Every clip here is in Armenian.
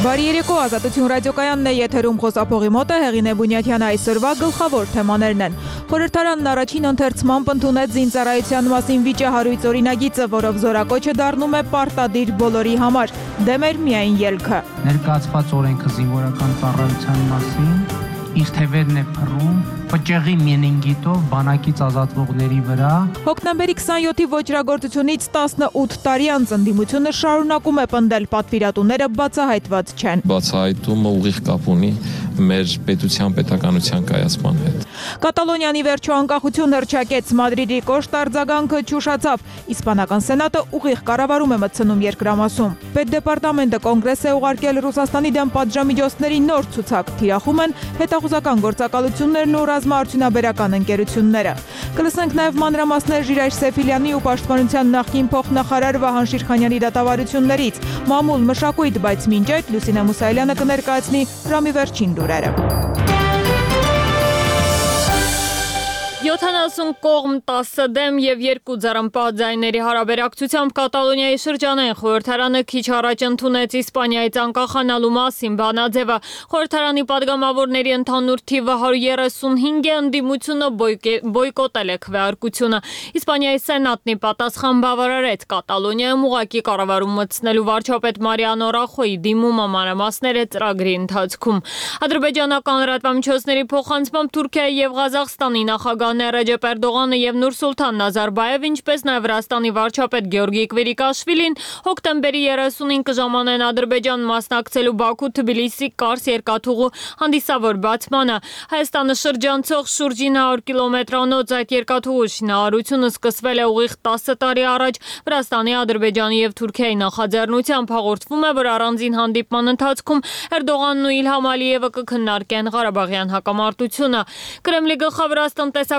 Բարի երեկո, Ազատություն ռադիոկայանն է եթերում, խոսափողի մոտ է Հեղինե Բունյաթյանը, այսօրվա գլխավոր թեմաներն են։ Խորհրդարանն առաջին ընթերցմամբ ընդունեց զինծառայության մասին վիճահարույց օրինագիծը, որով զորակոչը դառնում է պարտադիր բոլորի համար, դեմ էր միայն ելքը։ Ներկայացված օրենքը զինվորական ծառայության մասին իր թևերն է փռում պճեղի մենինգիտով բանակից ազատվողների վրա։ Հոկտեմբերի 27-ի ոճրագործությունից 18 տարի անց ընդդիմությունը շարունակում է պնդել, պատվիրատուները բացահայտված չեն։ Բացահայտումը ուղիղ կապ ունի մեր պետության պետականության կայացման հետ։ Կատալոնիանի վերջո անկախություն հռչակեց, Մադրիդի կոշտ արձագանքը չուշացավ, իսպանական սենատը ուղիղ կառավարում է մտցնում երկրամասում։ Պետդեպարտամենտը կոնգրես է ուղարկել Ռուսաստանի դեմ պատժամիջոցների նոր ցուցակ, թիրախում են հետախուզական գործակալություններն ու ռազմաարդյունաբերական ընկերությունները։ Կլսենք նաև մանրամասներ Ժիրայր Սեֆիլյանի ու Պաշտպանության նախկին փոխնախարար Վահան Շիրխանյանի դատավարություններից, մամուլ մշակույթ, բայց մինչ այդ Լուսինե Մուսայելյանը կներկայացնի Ռամի վերջին լուրերը։ 70 կողմ 10 դեմ և 2 ձեռնպատ ձայների հարաբերակցությամբ Կատալոնիայի շրջանային խորհրդարանը քիչ առաջ ընդունեց Իսպանիայից անկախանալու մասին բանաձևը։ Խորհրդարանի պատգամավորների ընդհանուր թիվը 135 է, ընդդիմությունը բոյկոտել է քվեարկությունը։ Իսպանիայի սենատն ի պատասխան բավարարեց Կատալոնիայում ուղղակի կառավարում մտցնելու վարչապետ Մարիանո Ռախոյի դիմումը, մանրամասները ծրագրի ընթացքում։ Ադրբեջանական լրատվամիջոցների փոխանցմամբ Թուրքիայի և Ղազախստանի նախագահ Ռեջեփ Էրդողանը և Նուրսուլթան Նազարբաևը, ինչպես նաև Վրաստանի վարչապետ Գեորգի Քվիրիկաշվիլին հոկտեմբերի 30-ին կժամանեն Ադրբեջան մասնակցելու Բաքու-Թբիլիսի Կարս երկաթուղու հանդիսավոր բացմանը։ Հայաստանը շրջանցող շուրջ 900 կիլոմետրանոց այդ երկաթուղու շինարարությունը սկսվել է ուղիղ 10 տարի առաջ Վրաստանի, Ադրբեջանի և Թուրքիայի նախաձեռնությամբ։ Հաղորդվում է, որ առանձին հանդիպման ընթացքում Էրդողանն ու Իլհամ Ալիևը կքննարկեն Ղարաբաղյան հակամարտությունը։ Կրեմլի գլխավոր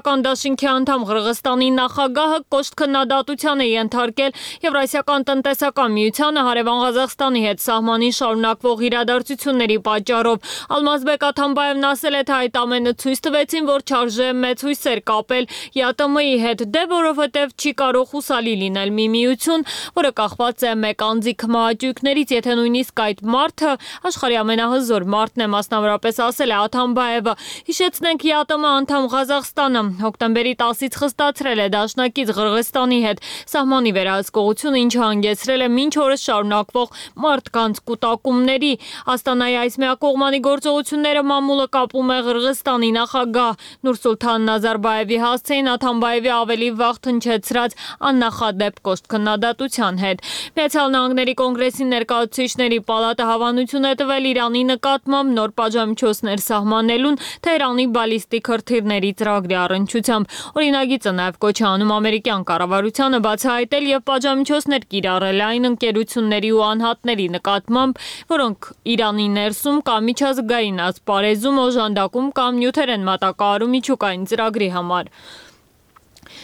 տնտեսական դաշինքի անդամ Ղրղստանի նախագահը կոշտ քննադատության է ենթարկել Եվրասիական տնտեսական միությանը հարևան Ղազախստանի հետ սահմանին շարունակվող իրադարձությունների պատճառով։ Ալմազբեկ Աթամբաևն ասել է, թե այդ ամենը ցույց տվեցին, որ չարժե մեծ հույսեր կապել ԵԱՏՄ-ի հետ, դե որովհետև չի կարող հուսալի լինել մի միություն, որը կախված է մեկ անձի քմահաճույքներից, եթե նույնիսկ այդ մարդը աշխարհի ամենահզոր մարդն է, մասնավորապես ասել է Աթամբաևը։ Հիշեցնենք, ԵԱՏՄ անդամ Ղազախստանը հոկտեմբերի 10-ից խստացրել է դաշնակից Ղրղստանի հետ սահմանի վերահսկողությունը, ինչը հանգեցրել է մինչ օրս շարունակվող մարդկանց կուտակումների։ Աստանայի այս միակողմանի գործողությունները մամուլը կապում է Ղրղստանի նախագահ Նուրսուլթան Նազարբաևի հասցեին Աթամբաևի ավելի վաղ հնչեցրած աննախադեպ կոշտ քննադատության հետ։ Միացյալ Նահանգների կոնգրեսի ներկայացուցիչների պալատը հավանություն է տվել Իրանի նկատմամբ նոր պատժամիջոցներ սահմանելուն Թեհրանի բալիստիկ հրթիռների ծրագրի առնչությամբ։ Օրինագիծը նաև կոչ է անում ամերիկյան կառավարությանը բացահայտել և պատժամիջոցներ կիրառել այն ընկերությունների ու անհատների նկատմամբ, որոնք Իրանի ներսում կամ միջազգային ասպարեզում օժանդակում կամ նյութեր են մատակարարում միջուկային ծրագրի համար։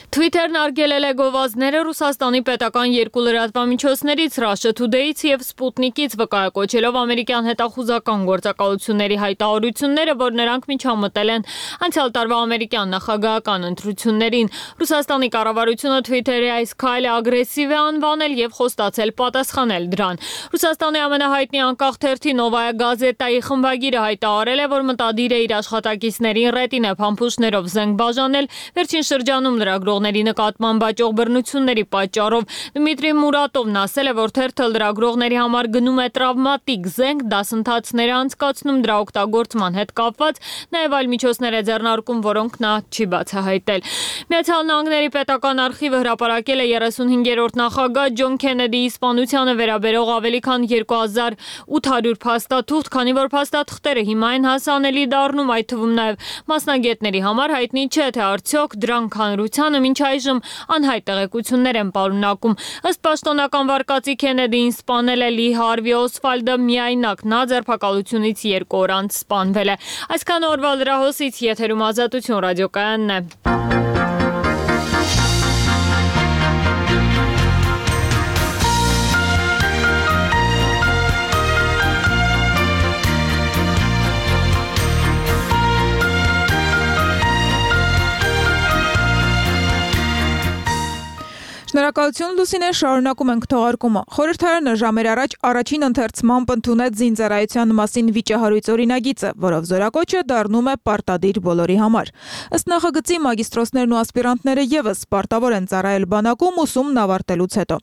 Թվիթերն արգելել է գովազդները Ռուսաստանի պետական երկու լրատվամիջոցներից Russia Today-ից և Sputnik-ից, վկայակոչելով ամերիկյան հետախուզական գործակալությունների հայտարարությունները, որ նրանք միջամտել են անցյալ տարվա ամերիկյան նախագահական ընտրություններին։ Ռուսաստանի կառավարությունը Twitter-ի այս քայլը ագրեսիվ է անվանել և խոստացել պատասխանել դրան։ Ռուսաստանի ամենահայտնի անկախ թերթի Նովայա Գազետայի խմբագիրը հայտարարել է, որ մտադիր է իր աշխատակիցներին ռետինե փամփուշտներով զենք բաժանել վերջին շրջանում լրագրողների նկատմամբ աճող բռնությունների պատճառով։ Դմիտրի Մուրատովն ասել է, որ թերթը լրագրողների համար գնում է տրավմատիկ զենք, դասընթացներ է անցկացնում դրա օգտագործման հետ կապված, նաև այլ միջոցներ է ձեռնարկում, որոնք նա չի բացահայտել։ Միացյալ Նահանգների պետական արխիվը հրապարակել է 35-րդ նախագահ Ջոն Քենեդիի սպանությանը վերաբերող ավելի քան 2800 փաստաթուղթ, քանի որ փաստաթղթերը հիմա են հասանելի դառնում, այդ թվում նաև մասնագետների համար հայտնի չէ, թե արդյոք դրանք հանրությանը մինչ այժմ անհայտ տեղեկություններ են պարունակում։ Ըստ պաշտոնական վարկածի Քենեդիին սպանել է Լի Հարվի Օսվալդը միայնակ, նա ձերբակալությունից 2 օր անց սպանվել է։ Այսքան օրվա լրահոսից եթերում Ազատություն ռադիոկայանն է։ Շնորհակալություն Լուսինե, շարունակում ենք թողարկումը։ Խորհրդարանը ժամեր առաջ առաջին ընթերցմամբ ընդունեց զինծառայության մասին վիճահարույց օրինագիծը, որով զորակոչը դառնում է պարտադիր բոլորի համար։ Ըստ նախագծի մագիստրոսներն ու ասպիրանտները եւս պարտավոր են ծառայել բանակում ուսումն ավարտելուց հետո։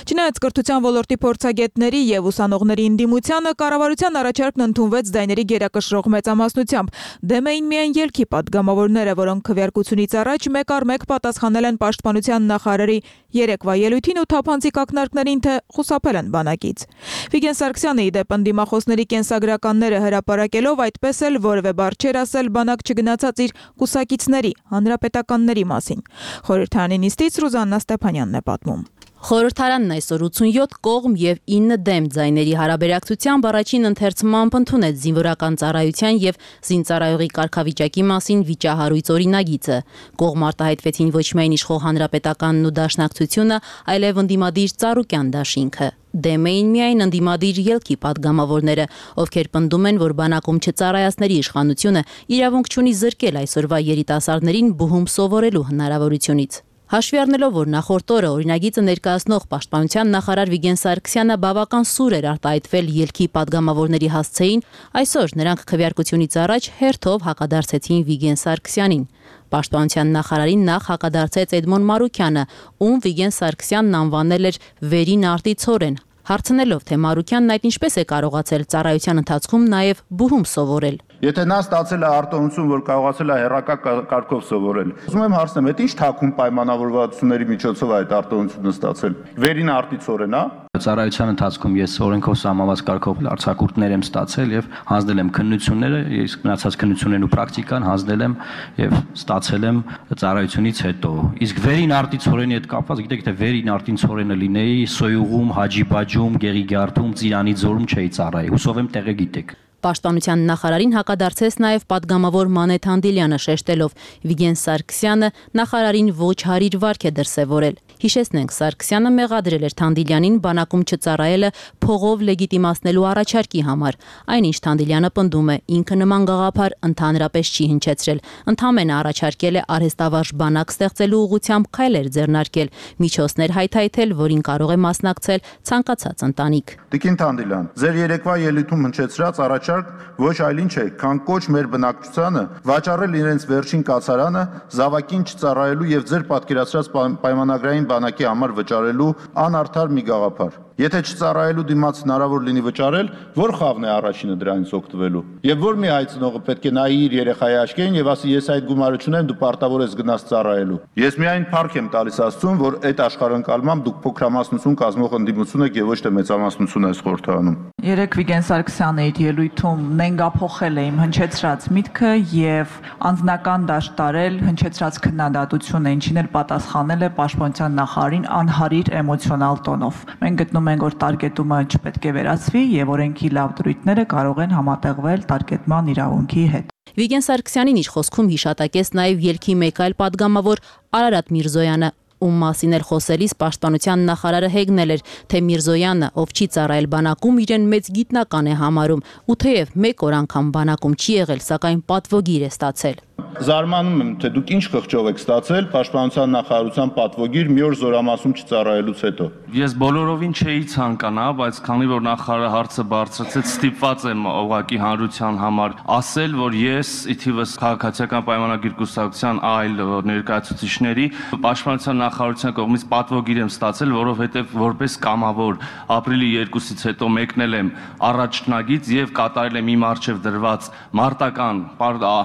Չնայած կրթության ոլորտի փորձագետների եւ ուսանողների ընդդիմությանը, կառավարության առաջարկն ընդունվեց ձայների գերակշռող մեծամասնությամբ։ Դեմ էին միայն ելքի պատգամավորները, որոնք քվեարկությունից առաջ մեկ առ մեկ պատասխանել են պաշտպանության նախարարի երեկվա ելույթին ու թափանցիկ ակնարկներին, թե խուսափել են բանակից։ Վիգեն Սարգսյանը ի դեպ ընդդիմախոսների կենսագրականները հրապարակելով այդպես էլ որևէ բառ չէր ասել բանակ չգնացած իր կուսակիցների, հանրապետականների մասին։ Խորհրդարանի նիստից Ռուզաննա Ստեփանյանն է պատմում։ Խորհրդարանն այսօր 87 կողմ եւ 9 դեմ ձայների հարաբերակցությամբ առաջին ընթերցմամբ ընդունեց զինվորական ծառայության եւ զինծառայողի կարգավիճակի մասին վիճահարույց օրինագիծը։ Կողմ արտահայտվեցին ոչ միայն իշխող հանրապետականն ու դաշնակցությունը, այլև ընդդիմադիր Ծառուկյան դաշինքը։ Դեմ էին միայն ընդդիմադիր ելքի պատգամավորները, ովքեր պնդում են, որ բանակում չծառայածների իշխանությունը իրավունք չունի զրկել այսօրվա երիտասարդներին բուհում սովորելու հնարավորությունից։ Հաշվի առնելով, որ նախորդ օրը օրինագիծը ներկայացնող պաշտպանության նախարար Վիգեն Սարգսյանը բավական սուր էր արտահայտվել ելքի պատգամավորների հասցեին, այսօր նրանք քվեարկությունից առաջ հերթով հակադարձեցին Վիգեն Սարգսյանին։ Պաշտպանության նախարարին նախ հակադարձեց Էդմոն Մարուկյանը, ում Վիգեն Սարգսյանն անվանել էր վերին արտիցորեն, հարցնելով, թե Մարուկյանն այդ ինչպես է կարողացել ծառայության ընթացքում նաև բուհում սովորել։ Եթե նա ստացել է արտոնություն, որ կարողացել է հերակա կարգով սովորել, ուզում եմ հարցնեմ, այդ ինչ թաքուն պայմանավորվածությունների միջոցով այդ արտոնությունը ստացել։ Վերին արտիցորեն, հա։ Ծառայության ընթացքում ես օրենքով սահմանված կարգով արձակուրդներ եմ ստացել եւ հանձնել եմ քննությունները, իսկ մնացած քննություններն ու պրակտիկան հանձնել եմ եւ ստացել եմ ծառայությունից հետո։ Իսկ վերին արտիցորենի հետ կապված, գիտեք, թե վերին արտիցորենը լինեի Սոյուղում, Հաջիբաջում, Գեղիգարդում, Ծիրանի ձորում չէի ծառայի։ Հուսով եմ տեղը գիտեք։ Պաշտպանության նախարարին հակադարձեց նաև պատգամավոր Մանեթ Անդիլյանը, շեշտելով Վիգեն Սարգսյանը նախարարին ոչ հարիր վարք է դրսևորել։ Հիշեցնենք, Սարգսյանը մեղադրել էր Թանդիլյանին բանակում չծառայելը փողով լեգիտիմացնելու առաջարկի համար։ Այնինչ Թանդիլյանը պնդում է, ինքը նման գաղափար ընդհանրապես չի հնչեցրել, ընդհանրապես առաջարկել է արհեստավարժ բանակ ստեղծելու ուղղությամբ քայլեր ձեռնարկել, միջոցներ հայթայթել, որին կարող է մասնակցել ցանկացած ընտանիք։ Տիկին Թանդիլյան, ձեր երեկվա ելույթում հնչեցրած առաջարկ ոչ այլ ինչ է, քան կոչ մեր բնակչությանը վաճառել իրենց վերջին կացարանը զավակին չծառայելու եւ ձեր պատկերացրած պայմանագրային բանակի համար վճարելու անարդար մի գաղափար։ Եթե չծառայելու դիմաց հնարավոր լինի վճարել, որ խավն է առաջինը դրանից օգտվելու։ Եվ որ մի հայցնողը պետք է նայի իր երեխայի աչքերին եւ ասի, ես այդ գումարը չունեմ, դու պարտավոր ես գնաս ծառայելու։ Ես միայն փառք եմ տալիս Աստծուն, որ այդ աշխարհընկալմամբ դուք փոքրամասնություն կազմող ընդդիմություն եք եւ ոչ թե մեծամասնություն այս խորհրդարանում։ Երեք Վիգեն Սարգսյանը իր ելույթում նենգափոխել է իմ հնչեցրած միտքը եւ անձնական դաշտ տարել հնչեցրած քննադատությունը, ինչին էլ պատասխանել է պաշտպանության նախարարին անհարիր էմոցիոնալ տոնով։ Մենք գտնում ենք, որ տարգետումը չպետք է վերացվի եւ օրենքի լավ դրույթները կարող են համատեղվել տարգետման իրավունքի հետ։ Վիգեն Սարգսյանին իր խոսքում հիշատակեց նաև ելքի մեկ այլ պատգամավոր Արարատ Միրզոյանը, ում մասին էլ խոսելիս պաշտպանության նախարարը հեգնել էր, թե Միրզոյանը, ով չի ծառայել բանակում, իրեն մեծ գիտնական է համարում, ու թեև մեկ օր անգամ բանակում չի եղել, սակայն պատվոգիր է ստացել։ Զարմանում եմ, թե դուք ինչ խղճով եք ստացել պաշտպանության նախարարության պատվոգիր մի օր զորամասում չծառայելուց հետո։ Ես բոլորովին չէի ցանկանա, բայց քանի որ նախարարը հարցը բարձրացեց, ստիպված եմ ուղղակի հանրության համար ասել, որ ես ի թիվս քաղաքացիական պայմանագիր կուսակցության այլ ներկայացուցիչների պաշտպանության նախարարության կողմից պատվոգիր եմ ստացել, որովհետև որպես կամավոր ապրիլի 2-ից հետո մեկնել եմ առաջնագից եւ կատարել եմ իմ առջև դրված մարտական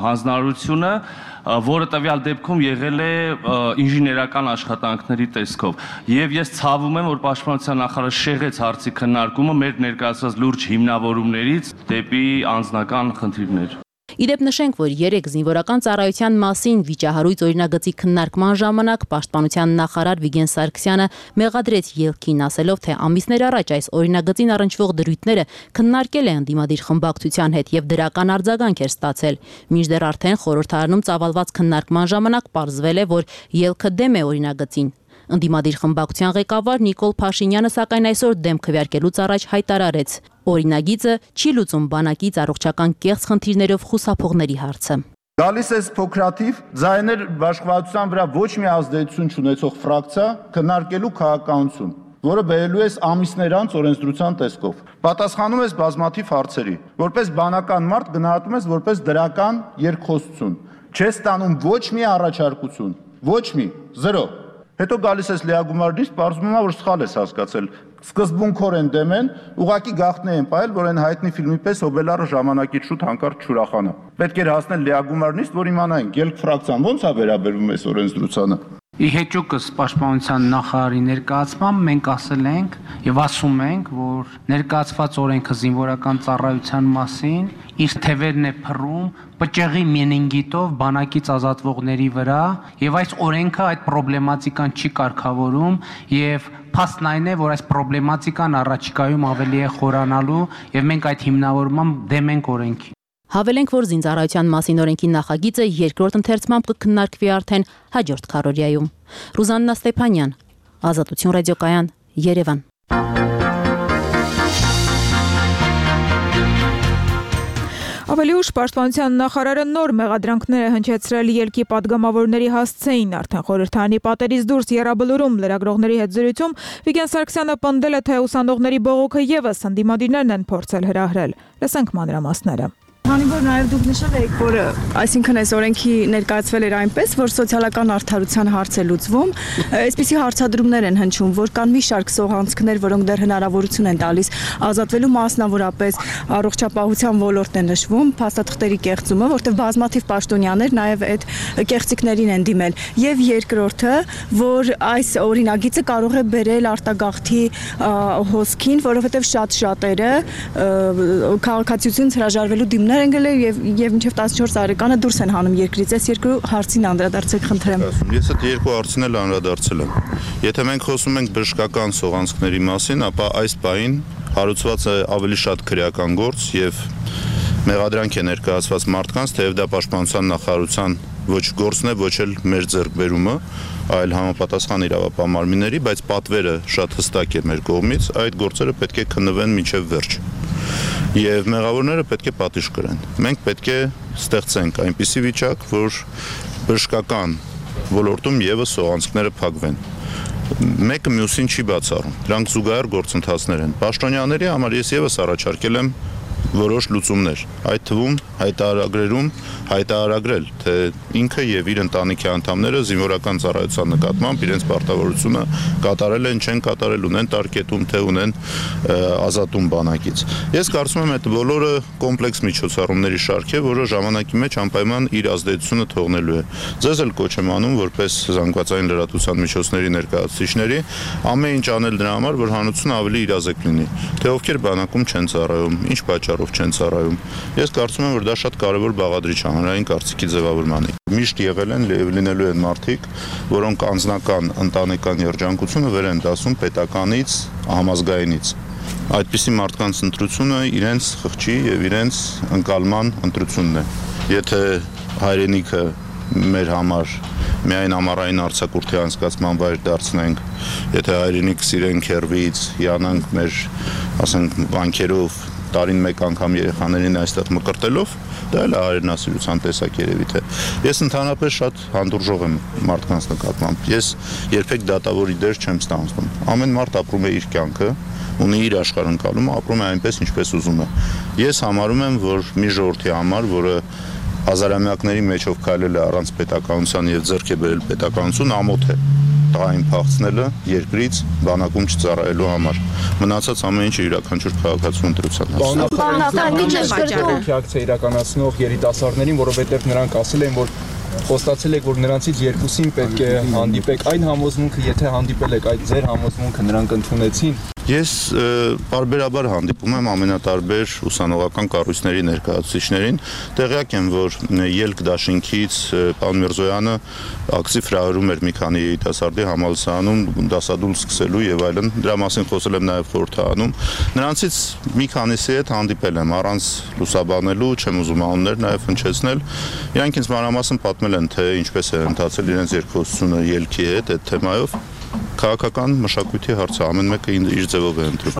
հանձնարարությունը, որը տվյալ դեպքում եղել է ինժեներական աշխատանքների տեսքով։ Եվ ես ցավում եմ, որ պաշտպանության նախարարը շեղեց հարցի քննարկումը մեր ներկայացված լուրջ հիմնավորումներից դեպի անձնական խնդիրներ։ Իդեպ նշենք, որ երեք զինվորական ծառայության մասին վիճահարույց օրինագծի քննարկման ժամանակ պաշտպանության նախարար Վիգեն Սարգսյանը մեղադրեց ելքին, ասելով, թե ամիսներ առաջ այս օրինագծին առնչվող դրույթները քննարկել է ընդդիմադիր խմբակցության հետ եւ դրական արձագանք էր ստացել։ Մինչդեռ արդեն խորհրդարանում ծավալված քննարկման ժամանակ պարզվել է, որ ելքը դեմ է օրինագծին։ Ընդդիմադիր խմբակցության ղեկավար Նիկոլ Փաշինյանը սակայն այսօր դեմ քվեարկելուց առաջ հայտարարեց. օրինագիծը չի լուծում բանակից առողջական կեղծ խնդիրներով խուսափողների հարցը։ Գալիս է փոքրաթիվ ձայներ բաշխվածության վրա ոչ մի ազդեցություն չունեցող ֆրակցիա քննարկելու քաղաքականություն, որը բերելու է ամիսներ անց օրենսդրության տեսքով։ Պատասխանում ես բազմաթիվ հարցերի, որպես բանական մարդ գնահատում ես որպես դրական երկխոսություն։ Չես ստանում ոչ մի առաջարկություն, ոչ մի, 0։ Հետո գալիս ես լիագումարից, պարզվում է, որ սխալ ես հասկացել։ Սկզբունքորեն դեմ են, ուղղակի գաղտնի են պահել, որ այն հայտնի ֆիլմի պես Օբելարը ժամանակից շուտ հանկարծ չուրախանա։ Պետք էր հասնել լիագումարից, որ իմանայինք, ելք ֆրակցիան ո՞նց է վերաբերվում այս օրենսդրությանը։ Ի հեճուկս Պաշտպանության նախարարի ներկայացմամբ մենք ասել ենք եւ ասում ենք, որ ներկայացված օրենքը զինվորական ծառայության մասին իր թևերն է փռում պճեղի մենինգիտով բանակից ազատվողների վրա եւ այս օրենքը այդ պրոբլեմատիկան չի կարգավորում եւ փաստն այն է, որ այս պրոբլեմատիկան առաջիկայում ավելի է խորանալու եւ մենք այդ հիմնավորմամբ դեմ ենք օրենքի։ Հավելենք, որ զինծառայության մասին օրենքի նախագիծը երկրորդ ընթերցմամբ կքննարկվի արդեն հաջորդ քառօրյայում։ Ռուզաննա Ստեփանյան, Ազատություն ռադիոկայան, Երևան։ Ավելի ուշ Պաշտպանության նախարարը նոր մեղադրանքներ է հնչեցրել ելքի падգամավորների հասցեին, արդեն խորհրդարանի պատերից դուրս Եռաբլուրում լրագրողների հետ զրույցում Վիգեն Սարգսյանը պնդել է, թե ուսանողների բողոքը եւս ընդդիմադիրներն են փորձել հրահրել։ Լսենք մանրամասները։ Քանի որ նաև դուք նշել եք, որ այսինքն այս օրենքի ներկայացվել էր այնպես, որ սոցիալական արդարության հարց է լուծվում, այսպիսի հարցադրումներ են հնչում, որ կան մի շարք սողանցքներ, որոնք դեռ հնարավորություն են տալիս ազատվելու, մասնավորապես առողջապահության ոլորտն է նշվում, փաստաթղթերի կեղծումը, որտեղ բազմաթիվ պաշտոնյաներ նաև այդ կեղծիքներին են դիմել, եւ երկրորդը, որ այս օրինագիծը կարող է բերել արտագաղթի հոսքին, որովհետեւ շատ շատերը քաղաքացիությունից հրաժարվելու դիմներ են գնել եւ մինչեւ 14 տարեկանը դուրս են հանում երկրից։ Այս երկու հարցին անդրադարձեք, խնդրեմ։ Ես այդ երկու հարցին էլ անդրադարձել եմ։ Եթե մենք խոսում ենք բժշկական սողանցքների մասին, ապա այս պահին հարուցված է ավելի շատ քրեական գործ եւ մեղադրանք է ներկայացված մարդկանց, թեև դա Պաշտպանության նախարարության ոչ գործն է, ոչ էլ մեր ձեռքբերումը, այլ համապատասխան իրավապահ բայց պատվերը շատ հստակ է մեր կողմից, այդ գործերը պետք է քննվեն մինչև վերջ։ Եվ մեղավորները պետք է պատիժ կրեն։ Մենք պետք է ստեղծենք այնպիսի վիճակ, որ բժշկական ոլորտում եւս սողանցքները փակվեն։ Մեկը մյուսին չի բացառում։ Դրանք զուգահեռ գործընթացներ են։ Պաշտոնյաների համար ես եւս առաջարկել եմ որոշ լուծումներ, այդ թվում հայտարարագրերում հայտարարագրել, թե ինքը եւ իր ընտանիքի անդամները զինվորական ծառայության նկատմամբ իրենց պարտավորությունը կատարել են, չեն կատարել, ունեն տարկետում, թե ունեն ազատում բանակից։ Ես կարծում եմ, այդ բոլորը կոմպլեքս միջոցառումների շարք է, որը ժամանակի մեջ անպայման իր ազդեցությունը թողնելու է։ Ձեզ էլ կոչ եմ անում, որպես զանգվածային լրատվության միջոցների ներկայացուցիչների, ամեն ինչ անել դրա համար, որ հանրությունը ավելի իրազեկ լինի, թե ովքեր բանակում չեն ծառայում, ինչ պատճառով չեն ծառայում։ Ես կարծում եմ, որ դա շատ կարևոր բաղադրիչ է հանրային կարծիքի ձևավորմանի։ Միշտ եղել են եւ լինելու են մարդիկ, որոնք անձնական ընտանեկան երջանկությունը վեր են դասում պետականից, համազգայինից։ Այդպիսի մարդկանց ընտրությունը իրենց խղճի եւ իրենց ընկալման ընտրությունն է։ Եթե հայրենիքը մեր համար միայն ամառային արձակուրդի անցկացման վայր դարձնենք, եթե հայրենիք սիրենք հեռվից, հիանանք մեր, ասենք, վանքերով տարին մեկ անգամ երեխաներին այստեղ մկրտելով, դա էլ հայրենասիրության տեսակ երևի թե։ Ես ընդհանրապես շատ հանդուրժող եմ մարդկանց նկատմամբ։ Ես երբեք դատավորի դեր չեմ ստանձնում։ Ամեն մարդ ապրում է իր կյանքը, ունի իր աշխարհընկալումը, ապրում է այնպես, ինչպես ուզում է։ Ես համարում եմ, որ մի ժողովրդի համար, որը հազարամյակների մեջով քայլել է առանց պետականության եւ ձեռք է բերել պետականություն, ամոթ է տղային փախցնելը երկրից բանակում չծառայելու համար։ Մնացած ամեն ինչը յուրաքանչյուր քաղաքացու ընտրության հասցեին։ Ակցիա իրականացնող երիտասարդներին, որովհետև նրանք ասել են, որ խոստացել եք, որ նրանցից երկուսին պետք է հանդիպեք։ Այն համոզմունքը, եթե հանդիպել եք, այդ ձեր համոզմունքը նրանք ընդունեցին։ Ես բարբերաբար հանդիպում եմ ամենատարբեր ուսանողական կառույցների ներկայացուցիչներին, տեղյակ եմ, որ ելք դաշինքից պարոն Միրզոյանը ակտիվ հրահրում էր մի քանի երիտասարդի համալսարանում դասադուլ սկսելու եւ այլն, դրա մասին խոսել եմ նաեւ խորհրդարանում։ Նրանցից մի քանիսի հետ հանդիպել եմ առանց լուսաբանելու, չեմ ուզում անուններ նաեւ հնչեցնել։ Իրանք ինձ մանրամասն պատմել են, թե ինչպես է ընթացել իրենց երկխոսությունը ելքի հետ այդ թեմայով։ Քաղաքական մշակույթի հարցը ամեն մեկը իր ձևով է ընտրում։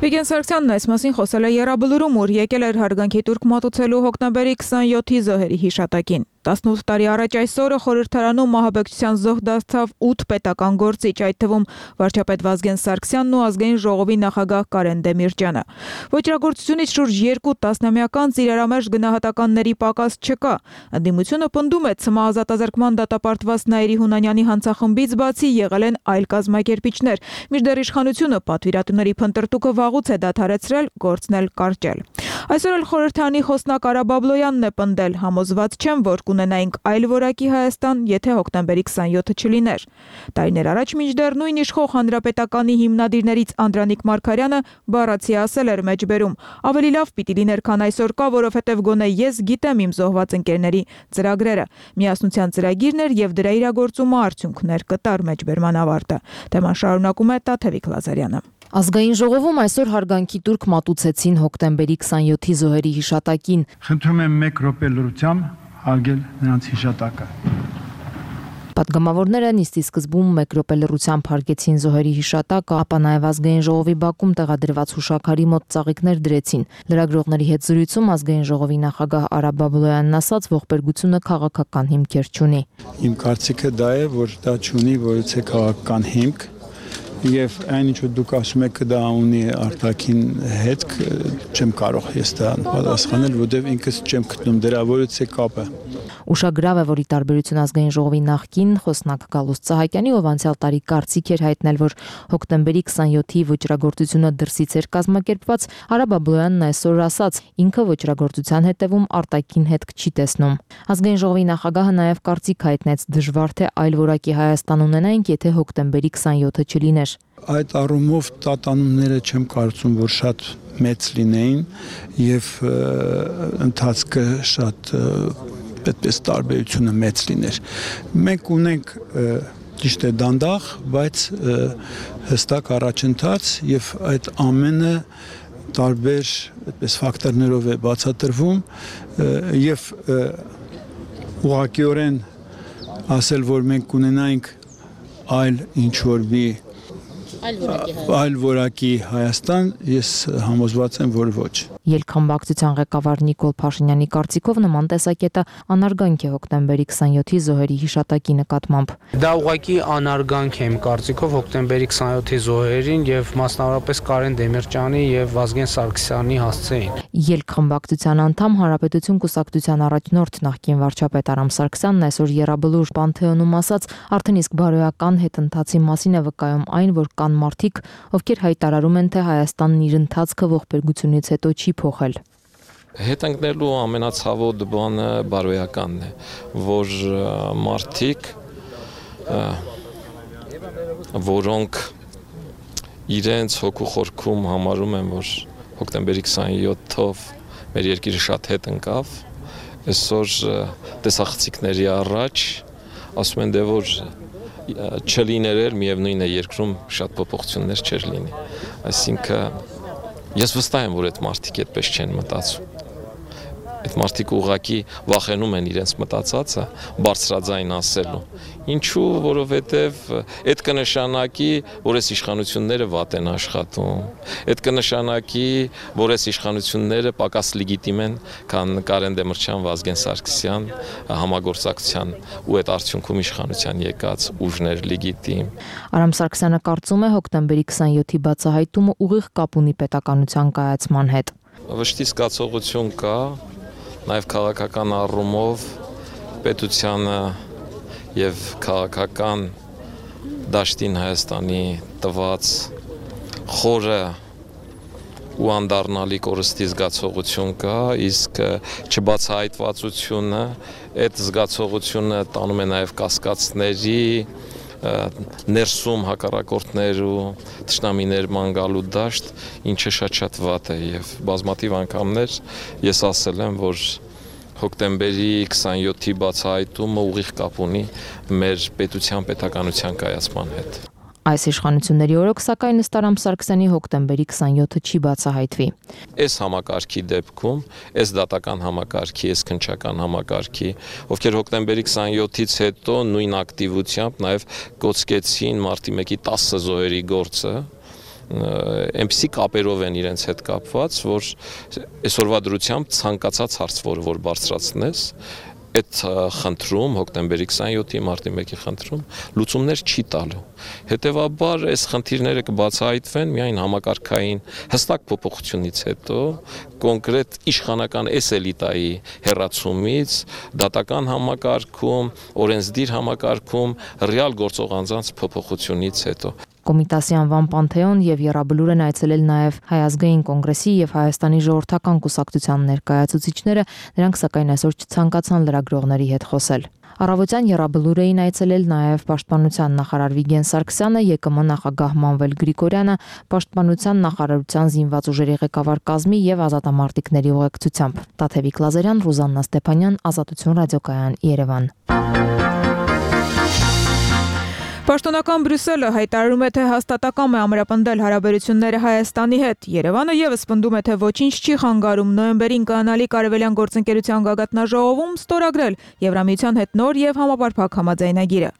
Վիգեն Սարգսյանն այս մասին խոսել է Եռաբլուրում, ուր եկել էր հարգանքի տուրք մատուցելու հոկտեմբերի 27-ի զոհերի հիշատակին։ 18 տարի առաջ այս օրը խորհրդարանում մահաբեկչության զոհ դարձավ 8 պետական գործիչ, այդ թվում վարչապետ Վազգեն Սարգսյանն ու ազգային ժողովի նախագահ Կարեն Դեմիրճյանը։ Ոճրագործությունից շուրջ 2 տասնամյակ անց իրարամերժ գնահատականների պակաս չկա։ Ընդդիմությունը պնդում է, ՑՄ ազատազրկման դատապարտված Նաիրի Հունանյանի հանցախմբից բացի եղել են այլ կազմակերպիչներ, մինչդեռ իշխանությունը պատվիրատուների փնտրտուքը վաղուց է դադարեցրել, գործն էլ կարճել։ Այսօր էլ խորհրդարանի խոսնակ Արա Բաբլոյանն է պնդել, համոզված չեմ, որ կունենայինք այլ որակի Հայաստան, եթե հոկտեմբերի 27-ը չլիներ։ Տարիներ առաջ մինչդեռ նույն իշխող հանրապետականի հիմնադիրներից Անդրանիկ Մարգարյանը բառացի ասել էր մեջբերում. ավելի լավ պիտի լիներ, քան այսօր կա, որովհետև գոնե ես գիտեմ իմ զոհված ընկերների ծրագրերը։ Միասնության ծրագիրն էր եւ դրա իրագործումը արդյունքներ կտար մեջբերման ավարտը։ Թեման շարունակում է Տաթևիկ Լազարյանը։ Ազգային ժողովում այսօր հարգանքի տուրք մատուցեցին հոկտեմբերի 27-ի զոհերի հիշատակին։ Խնդրում եմ 1 րոպե լրությամբ հարգել նրանց հիշատակը։ Պատգամավորները նիստի սկզբում 1 րոպե լռությամբ հարգեցին զոհերի հիշատակը, ապա նաև ազգային ժողովի բակում տեղադրված հուշաքարի մոտ ծաղիկներ դրեցին։ Լրագրողների հետ զրույցում ազգային ժողովի նախագահ Արա Բաբլոյանն ասաց, ողբերգությունը քաղաքական հիմքեր չունի։ Իմ կարծիքը դա է, որ դա չունի որևէ քաղաքական հիմք։ Եվ այն ինչ որ դուք ասում եք դա ունի արտաքին հետք, չեմ կարող ես դա պատասխանել, որովհետև ինքս չեմ գտնում դրա որևէ կապը։ Ուշագրավ է, որ ի տարբերություն ազգային ժողովի նախկին խոսնակ Գալուստ Սահակյանի, ով անցյալ տարի կարծիք էր հայտնել, որ հոկտեմբերի 27-ի ոճրագործությունը դրսից էր կազմակերպված, Արա Բաբլոյանն այսօր ասաց, ինքը ոճրագործության հետևում արտաքին հետք չի տեսնում։ Ազգային ժողովի նախագահը նաև կարծիք հայտնեց, դժվար թե այլ որակի Հայաստան ունենայինք, եթե հոկտեմբերի 27-ը չլիներ։ Այդ առումով տատանումները չեմ կարծում, որ շատ մեծ լինեին եւ ընթացքը շատ այդպես տարբերությունը մեծ լիներ։ Մենք ունենք ճիշտ է դանդաղ, բայց հստակ առաջընթաց եւ այդ ամենը տարբեր այդպես ֆակտորներով է բացատրվում եւ ուղղակիորեն ասել, որ մենք կունենայինք այլ ինչ որ մի այլ որակի Հայաստան, ես համոզված եմ, որ ոչ։ Ելքխմբակցության ղեկավար Նիկոլ Փաշինյանի կարծիքով նման տեսակետը անարգանք է հոկտեմբերի 27-ի զոհերի հիշատակի նկատմամբ։ Դա ուղղակի անարգանք է իմ կարծիքով հոկտեմբերի 27-ի զոհերին եւ մասնավորապես Կարեն Դեմիրճյանի եւ Վազգեն Սարգսյանի հասցեին։ Ելքխմբակցության անդամ Հանրապետություն կուսակցության առաջնորդ նախկին վարչապետ Արամ Սարգսյանն այսօր Եռաբլուր Պանթեոնում ասաց, արդեն իսկ բարոյական հետընթացի մասին է վկայում այն, որ կան մարդիկ, ովքեր հայտարարում են, թե Հայաստանն իր ընթացքը ողբերգությունից հետո չի փոխել։ Հետընկնելու ամենացավոտ բանը բարոյականն է, որ մարդիկ, որոնք իրենց հոգու խորքում համարում են, որ հոկտեմբերի 27-ով մեր երկիրը շատ հետ ընկավ, այսօր տեսախցիկների առաջ ասում են, որ չլիներ էլ միևնույն է երկրում շատ փոփոխություններ չեր լինի։ Այսինքն ես վստահ եմ, որ այդ մարդիկ այդպես չեն մտածում։ Այդ մարդիկ ուղղակի վախենում են իրենց մտածածը բարձրաձայն ասելու։ Ինչու, որովհետև այդ կնշանակի, որ այս իշխանությունները վատ են աշխատում։ Այդ կնշանակի, որ այս իշխանությունները պակաս լեգիտիմ են, քան Կարեն Դեմիրճյան, Վազգեն Սարգսյան համագործակցության ու այդ արդյունքում իշխանության եկած ուժներ լեգիտիմ։ Արամ Սարգսյանը կարծում է հոկտեմբերի 27-ի բացահայտումը ուղիղ կապ ունի պետականության կայացման հետ։ Վշտի զգացողություն կա, նաև քաղաքական առումով պետությանը եւ քաղաքական դաշտին Հայաստանի տված խորը ու անդառնալի կորստի զգացողություն կա, իսկ չբացահայտվածությունը, այդ զգացողությունը տանում է նաև կասկածների, ներսում հակառակորդներ ու թշնամիներ ման գալու դաշտ, ինչը շատ վատ է եւ բազմաթիվ անգամներ ես ասել եմ, որ հոկտեմբերի 27-ի բացահայտումը ուղիղ կապ ունի մեր պետության պետականության կայացման հետ։ Այս իշխանությունների օրոք, սակայն ըստ Արամ Սարգսյանի հոկտեմբերի 27-ը չի բացահայտվի։ Այս համակարգի դեպքում, այս դատական համակարգի, այս քննչական համակարգի, ովքեր հոկտեմբերի 27-ից հետո նույն ակտիվությամբ նաև կոծկեցին մարտի 1-ի 10 զոհերի գործը, այնպիսի կապերով են իրենց հետ կապված, որ այսօրվա դրությամբ ցանկացած հարց, որ բարձրացնես, այդ խնդրում հոկտեմբերի 27-ի մարտի 1-ի խնդրում լուծումներ չի տալու։ Հետևաբար այս խնդիրները կբացահայտվեն միայն համակարգային հստակ փոփոխությունից հետո, կոնկրետ իշխանական այս էլիտայի հերացումից, դատական համակարգում, օրենսդիր համակարգում, ռեալ գործող անձանց փոփոխությունից հետո։ Կոմիտասի անվան Պանթեոն եւ Եռաբլուր են այցելել նաեւ Հայ ազգային կոնգրեսի եւ Հայաստանի ժողովրդական կուսակցության ներկայացուցիչները, նրանք սակայն այսօր չցանկացան լրագրողների հետ խոսել։ Առավոտյան Եռաբլուր էին այցելել նաեւ Պաշտպանության նախարար Վիգեն Սարգսյանը, ԵԿՄ նախագահ Մանվել Գրիգորյանը, Պաշտպանության նախարարության զինված ուժերի ղեկավար կազմի եւ ազատամարտիկների ուղեկցությամբ։ Տաթևիկ Լազարյան, Ռուզաննա Ստեփանյան, Ազատություն ռադիոկայան, Երևան։ Պաշտոնական Բրյուսելը հայտարարում է, թե հաստատակամ է ամրապնդել հարաբերությունները Հայաստանի հետ։ Երևանը եւս պնդում է, թե ոչինչ չի խանգարում նոյեմբերին կանալիք արևելյան գործընկերության գագաթնաժողովում ստորագրել Եվրամիության հետ նոր եւ համապարփակ համաձայնագիրը։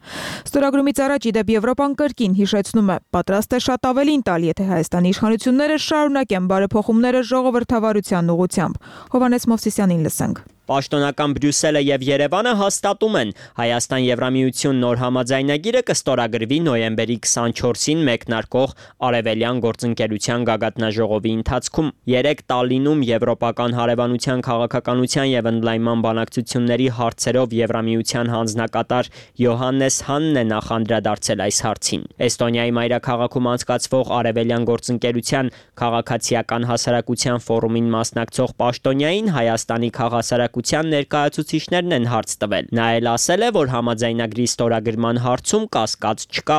Ստորագրումից առաջ իդեպ Եվրոպան կրկին հիշեցնում է, պատրաստ է շատ ավելին տալ, եթե Հայաստանի իշխանությունները շարունակեն բարեփոխումները ժողովրդավարության ուղղությամբ։ Հովհաննես Մովսիսյանին լսենք։ Պաշտոնական Բրյուսելը եւ Երևանը հաստատում են, Հայաստան-Եվրամիություն նոր համաձայնագիրը կստորագրվի նոյեմբերի 24-ին մեկնարկող Արևելյան գործընկերության գագաթնաժողովի ընթացքում։ 3 Տալինում Եվրոպական հարևանության քաղաքականության եւ ընդլայնման բանակցությունների հարցերով Եվրամիության հանձնակատար Յոհաննես Հանն է նախանդրադարձել այս հարցին։ Էստոնիայի մայրաքաղաքում անցկացվող Արևելյան գործընկերության քաղաքացիական հասարակության ֆորումին մասնակցող պաշտոնյային Հայաստանի քաղաքացիական ներկայացուցիչներն են հարց տվել։ Նա էլ ասել է, որ համաձայնագրի ստորագրման հարցում կասկած չկա։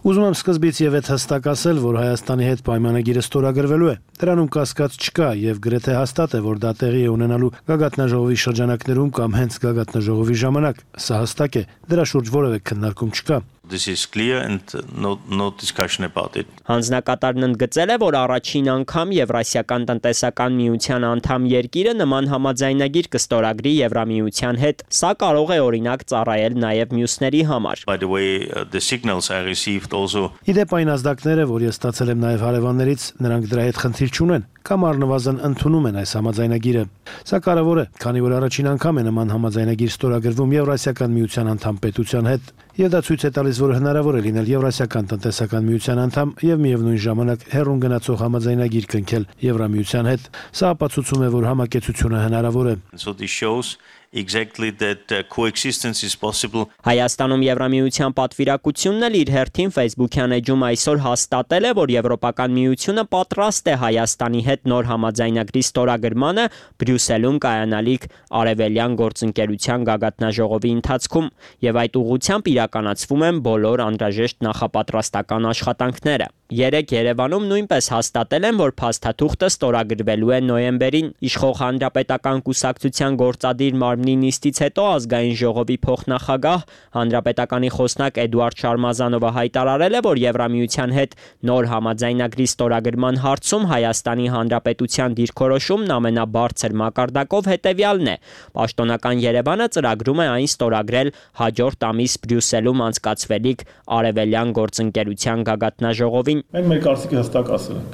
Ուզում եմ սկզբից եւ այդ հստակ ասել, որ Հայաստանի հետ պայմանագիրը ստորագրվելու է։ Դրանում կասկած չկա եւ գրեթե հաստատ է, որ դա տեղի է ունենալու գագաթնաժողովի շրջանակներում կամ հենց գագաթնաժողովի ժամանակ։ Սա հստակ է։ Դրա շուրջ որևէ քննարկում չկա։ This is clear and no discussion about it. Հանձնակատարն ընդգծել է, որ առաջին անգամ Եվրասիական տնտեսական միության անդամ երկիրը նման համաձայնագիր կստորագրի Եվրամիության հետ։ Սա կարող է օրինակ ծառայել նաև մյուսների համար։ By the way, the signals I received also. Իդեպ այն ազդակները, որ ես ստացել եմ նաև հարևաններից, նրանք դրա հետ խնդիր չունեն կամ առնվազն ընդունում են այս համաձայնագիրը։ Սա կարևոր է, քանի որ առաջին անգամ է նման համաձայնագիր ստորագրվում Եվրասիական միության անդամ պետության հետ, եւ դա ցույց է տալիս, որ հնարավոր է լինել Եվրասիական տնտեսական միության անդամ եւ միևնույն ժամանակ հեռուն գնացող համաձայնագիր կնքել Եվրամիության հետ։ Սա ապացուցում է, որ համակեցությունը հնարավոր է։ So this shows exactly that coexistence is possible. Հայաստանում Եվրամիության պատվիրակությունն էլ իր հերթին Facebook-յան էջում այսօր հաստատել է, որ Եվրոպական միությունը պատրաստ է Հայաստանի հետ նոր համաձայնագրի ստորագրմանը Բրյուսելում կայանալիք Արևելյան գործընկերության գագաթնաժողովի ընթացքում եւ այդ ուղղությամբ իրականացվում են բոլոր անհրաժեշտ նախապատրաստական աշխատանքները։ Երեկ Երևանում նույնպես հաստատել են, որ փաստաթուղթը ստորագրվելու է նոյեմբերին։ Իշխող հանրապետական կուսակցության գործադիր մարմնի նիստից հետո ազգային ժողովի փոխնախագահ հանրապետականի խոսնակ Էդուարդ Շարմազանովը հայտարարել է, որ Եվրամիության հետ նոր համաձայնագրի ստորագրման հարցում Հայաստանի Հանրապետության դիրքորոշումն ամենաբարձր մակարդակով հետևյալն է։ Պաշտոնական Երևանը ծրագրում է այն ստորագրել հաջորդ ամիս Բրյուսելում անցկացվելիք Արևելյան գործընկերության գագաթնաժողովին։ Մենք մեր կարծիքը հստակ ասել ենք։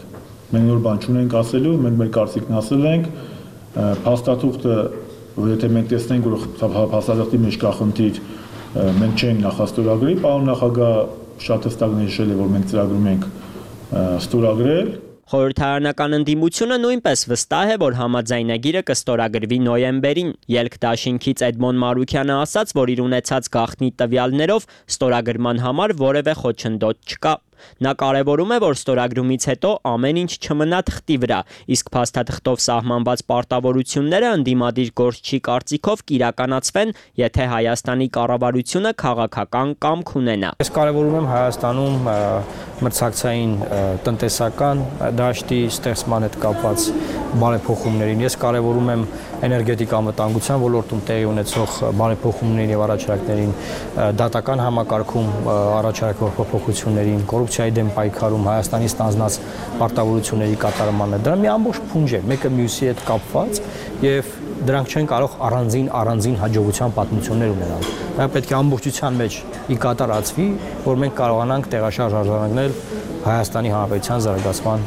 Մենք նոր բան չունենք ասելու, մենք մեր կարծիքն ասել ենք, փաստաթուղթը, որ եթե մենք տեսնենք, որ փաստաթղթի մեջ կա խնդիր, մենք չենք նախաստորագրի, պարոն նախագահ շատ հստակ նշել է, որ մենք ծրագրում ենք ստորագրել։ Խորհրդարանական ընդդիմությունը նույնպես վստահ է, որ համաձայնագիրը կստորագրվի նոյեմբերին։ Ելք դաշինքից Էդմոն Մարուքյանը ասաց, որ իր ունեցած գաղտնի տվյալներով ստորագրման համար որևէ խոչընդոտ չկա։ Նա կարևորում է, որ ստորագրումից հետո ամեն ինչ չմնա թղթի վրա, իսկ փաստաթղթով սահմանված պարտավորությունները ընդդիմադիր գործչի կարծիքով կիրականացվեն, եթե Հայաստանի կառավարությունը քաղաքական կամք ունենա։ Ես կարևորում եմ Հայաստանում մրցակցային տնտեսական դաշտի ստեղծման հետ կապված բարեփոխումներին։ Ես կարևորում եմ էներգետիկա անվտանգության ոլորտում տեղի ունեցող բարեփոխումներին եւ առաջարկներին, դատական համակարգում առաջարկվող փոփոխություններին, կոռուպցիայի դեմ պայքարում, Հայաստանի ստանձնած պարտավորությունների կատարմանը։ Դրա մի ամբողջ փունջ է, մեկը մյուսի հետ կապված եւ դրանք չեն կարող առանձին հաջողության պատմություններ ունենալ։ Դա պետք է ամբողջության մեջ ի կատարածվի, որ մենք կարողանանք տեղաշարժ արձանագրել Հայաստանի Հանրապետության զարգացման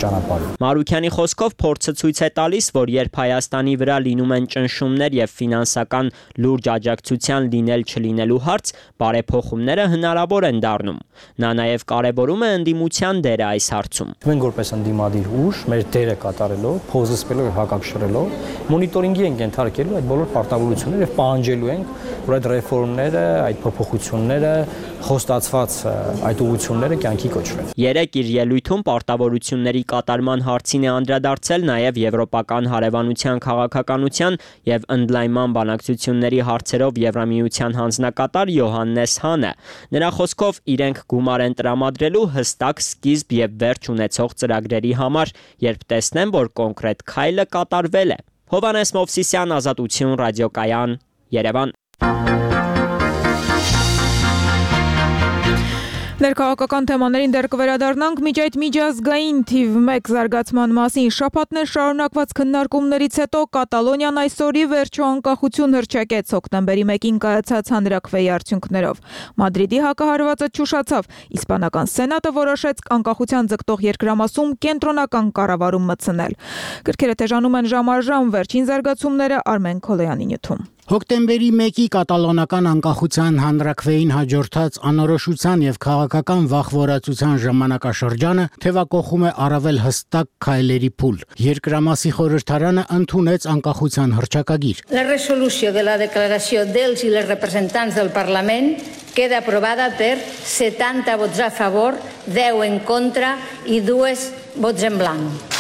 ճանապարհը։ Մարուքյանի խոսքով փորձը ցույց է տալիս, որ երբ Հայաստանի վրա լինում են ճնշումներ եւ ֆինանսական լուրջ աջակցության լինել-չլինելու հարց, բարեփոխումները հնարավոր են դառնում։ Նա նաեւ կարեւորում է ընդդիմության դերը այս հարցում։ Մենք որպես ընդդիմադիր ուժ մեր դերը կատարելով, փոխզսպելով եւ հակակշռելով, մոնիտորինգի ենք ենթարկելու այդ բոլոր պարտավորությունները եւ պահանջելու ենք, որ այդ ռեֆորմները, այդ փոփոխությունները, խոստացված այդ ուղղությունները կյանքի կոչվեն։ Երեք իր ելույթում պարտավորությունների կատարման հարցին է անդրադարձել նաև Եվրոպական հարևանության քաղաքականության եւ ընդլայնման բանակցությունների հարցերով Եվրամիության հանձնակատար Յոհաննես Հանը։ Նրա խոսքով իրենք գումար են տրամադրելու հստակ սկիզբ եւ վերջ ունեցող ծրագրերի համար, երբ տեսնեն, որ կոնկրետ քայլը կատարվել է։ Հովհաննես Մովսիսյան, Ազատություն, Ռադիոկայան, Երևան։ Ներքաղաքական թեմաներին դեռ կվերադառնանք միջ այդ միջազգային թիվ 1 զարգացման մասին շաբաթներ շարունակված քննարկումներից հետո Կատալոնիան այսօրի վերջո անկախություն հռչակեց հոկտեմբերի 1-ին կայացած հանրաքվեի արդյունքներով։ Մադրիդի հակահարվածը չուշացավ, իսպանական սենատը որոշեց անկախության ձգտող երկրամասում կենտրոնական կառավարում մտցնել։ Գրքերը թեժանում են ժամ առ ժամ, վերջին զարգացումները Արմեն Քոլոյանի նյութում։ Հոկտեմբերի 1-ի կատալոնական անկախության հանրաքվեին հաջորդած անորոշության եւ քաղաքական վախվորացության ժամանակաշրջանը թևակողում է առավել հստակ քայլերի փուլ։ Երկրամասի խորհրդարանը ընդունեց անկախության հռչակագիր։ La resolució de la declaració dels i les representants del Parlament queda aprovada per 70 vots a favor, 10 en contra i 2 vots en blanc.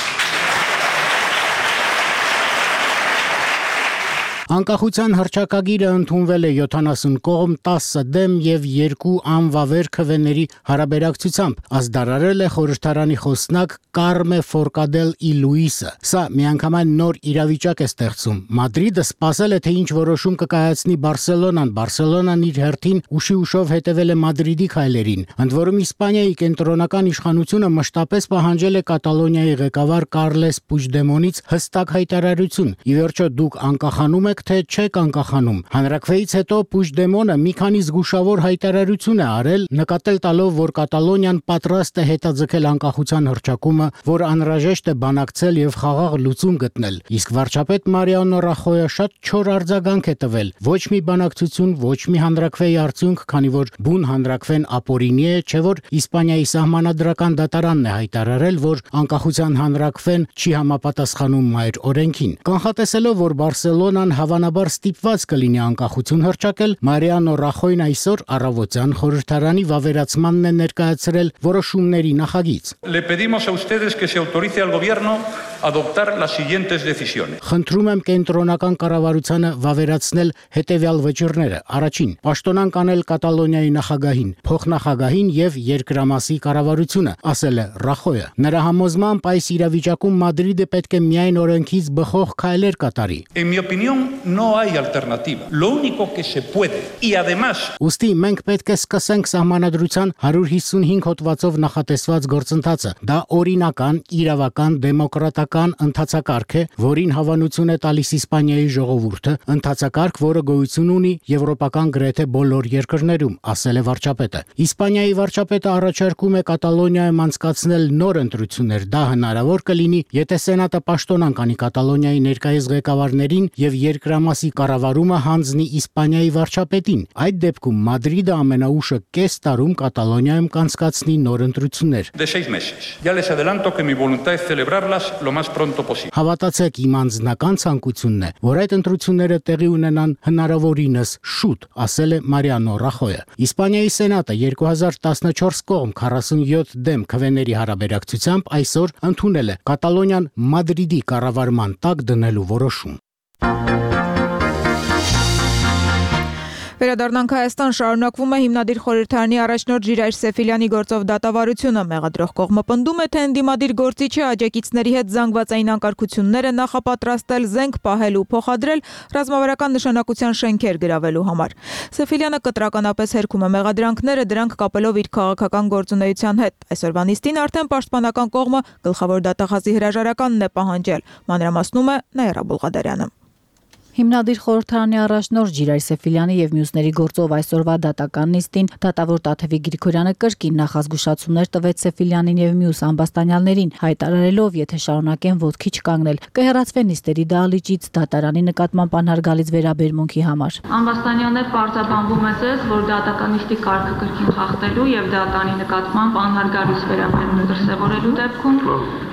Անկախության հռչակագիրը ընդունվել է 70 կողմ, 10 դեմ եւ 2 անվավեր քվեների հարաբերակցությամբ։ Ազդարարել է խորհրդարանի խոսնակ Կարմե Ֆորկադել ի Լուիսը։ Սա միանգամայն նոր իրավիճակ է ստեղծում։ Մադրիդը սպասել է, թե ինչ որոշում կկայացնի Բարսելոնան։ Բարսելոնան իր հերթին ուշի-ուշով հետևել է Մադրիդի քայլերին։ Ընդ որում Իսպանիայի կենտրոնական իշխանությունը մշտապես պահանջել է Կատալոնիայի ղեկավար Կարլես Պուջդեմոնից հստակ հայտարարություն։ Ի վերջո դուք անկախանում եք, թե չեք անկախանում։ Հանրաքվեից հետո Պուջդեմոնը մի քանի զգուշավոր հայտարարություն է արել, նկատել տալով, որ Կատալոնիան պատրաստ է հետաձգել անկախության հռչակումը, որ անհրաժեշտ է բանակցել եւ խաղաղ լուծում գտնել։ Իսկ վարչապետ Մարիանո Ռախոյը շատ չոր արձագանք է տվել։ Ոչ մի բանակցություն, ոչ մի հանրաքվեի արդյունք, քանի որ բուն հանրաքվեն ապօրինի է, չէ՞ որ Իսպանիայի սահմանադրական դատարանն է հայտարարել, որ անկախության հանրաքվեն չի համապատասխանում մայր օրենքին։ Կանխատեսելով, որ Բարսելոնան հավանաբար ստիպված կլինի անկախություն հռչակել, Մարիանո Ռախոյն այսօր առավոտյան խորհրդարանի վավերացմանն է ներկայացրել որոշումների նախագիծ։ Le pedimos a ustedes que se autorice al gobierno a adoptar las siguientes decisiones. Խնդրում եմ կենտրոնական կառավարությանը վավերացնել հետևյալ վճիռները. Առաջին, պաշտոնանկ անել Կատալոնիայի նախագահին, փոխնախագահին եւ երկրամասի կառավարությունը, ասել է Ռախոյը։ Նրա համոզմամբ այս իրավիճակում Մադրիդը պետք է միայն օրենքից բխող քայլեր կատարի։ En mi opinión no hay alternativa. Lo único que se puede y además Ուստի մենք պետք է սկսենք սահմանադրության 155 հոդվածով նախատեսված գործընթացը։ Դա օրինական, իրավական, դեմոկրատական ընթացակարգ է, որին հավանություն է տալիս Իսպանիայի ժողովուրդը, ընթացակարգ, որը գոյություն ունի եվրոպական գրեթե բոլոր երկրներում, ասել է վարչապետը։ Իսպանիայի վարչապետը առաջարկում է Կատալոնիայում անցկացնել նոր ընտրություններ։ Դա հնարավոր կլինի, եթե Սենատը պաշտոնանկ անի Կատալոնիայի ներկայիս ղեկավարներին եւ երկրամասի կառավարումը հանձնի Իսպանիայի վարչապետին։ Այդ դեպքում Մադրիդը ամենաուշը կես տարում Կատալոնիայում կանցկացնի նոր ընտրություններ։ de 6 meses. Ya les adelanto que mi voluntad es celebrarlas lo más pronto posible. Հավատացեք, իմ անձնական ցանկությունն է, որ այդ ընտրությունները տեղի ունենան հնարավորինս շուտ, ասել է Մարիանո Ռախոյը։ Իսպանիայի սենատը 2014 կողմ 47 դեմ քվեների հարաբերակցությամբ այսօր ընդունել է Կատալոնիան Մադրիդի կառավարման տակ դնելու որոշում։ Վերադառնանք Հայաստան, շարունակվում է հիմնադիր խորհրդարանի առաջնորդ Ժիրայր Սեֆիլյանի գործով դատավարությունը։ Մեղադրող կողմը պնդում է, թե ընդդիմադիր գործիչը աջակիցների հետ զանգվածային անկարգություններ է նախապատրաստել, զենք պահել ու փոխադրել ռազմավարական նշանակության շենքեր գրավելու համար։ Սեֆիլյանը կտրականապես հերքում է մեղադրանքները, դրանք կապելով իր քաղաքական գործունեության հետ։ Այսօրվա նիստին արդեն պաշտպանական կողմը գլխավոր դատախազի հրաժարականն է պահանջել։ Մանրամասնում է Նաիրա Բուլղադարյանը։ Հիմնադիր խորհրդարանի առաջնորդ Ժիրայր Սեֆիլյանի եւ մյուսների գործով այսօրվա դատական նիստին դատավոր Տաթևիկ Գրիգորյանը կրկին նախազգուշացումներ տվեց Սեֆիլյանին եւ մյուս ամբաստանյալներին, հայտարարելով, եթե շարունակեն ոտքի չկանգնել, կհեռացվեն նիստերի դահլիճից դատարանի նկատմամբ անհարգալից վերաբերմունքի համար։ Ամբաստանյալներ պարզաբանվում է ձեզ, որ դատական նիստի կարգը կրկին խախտելու եւ դատարանի նկատմամբ անհարգալից վերաբերմունք դրսեւորելու դեպքում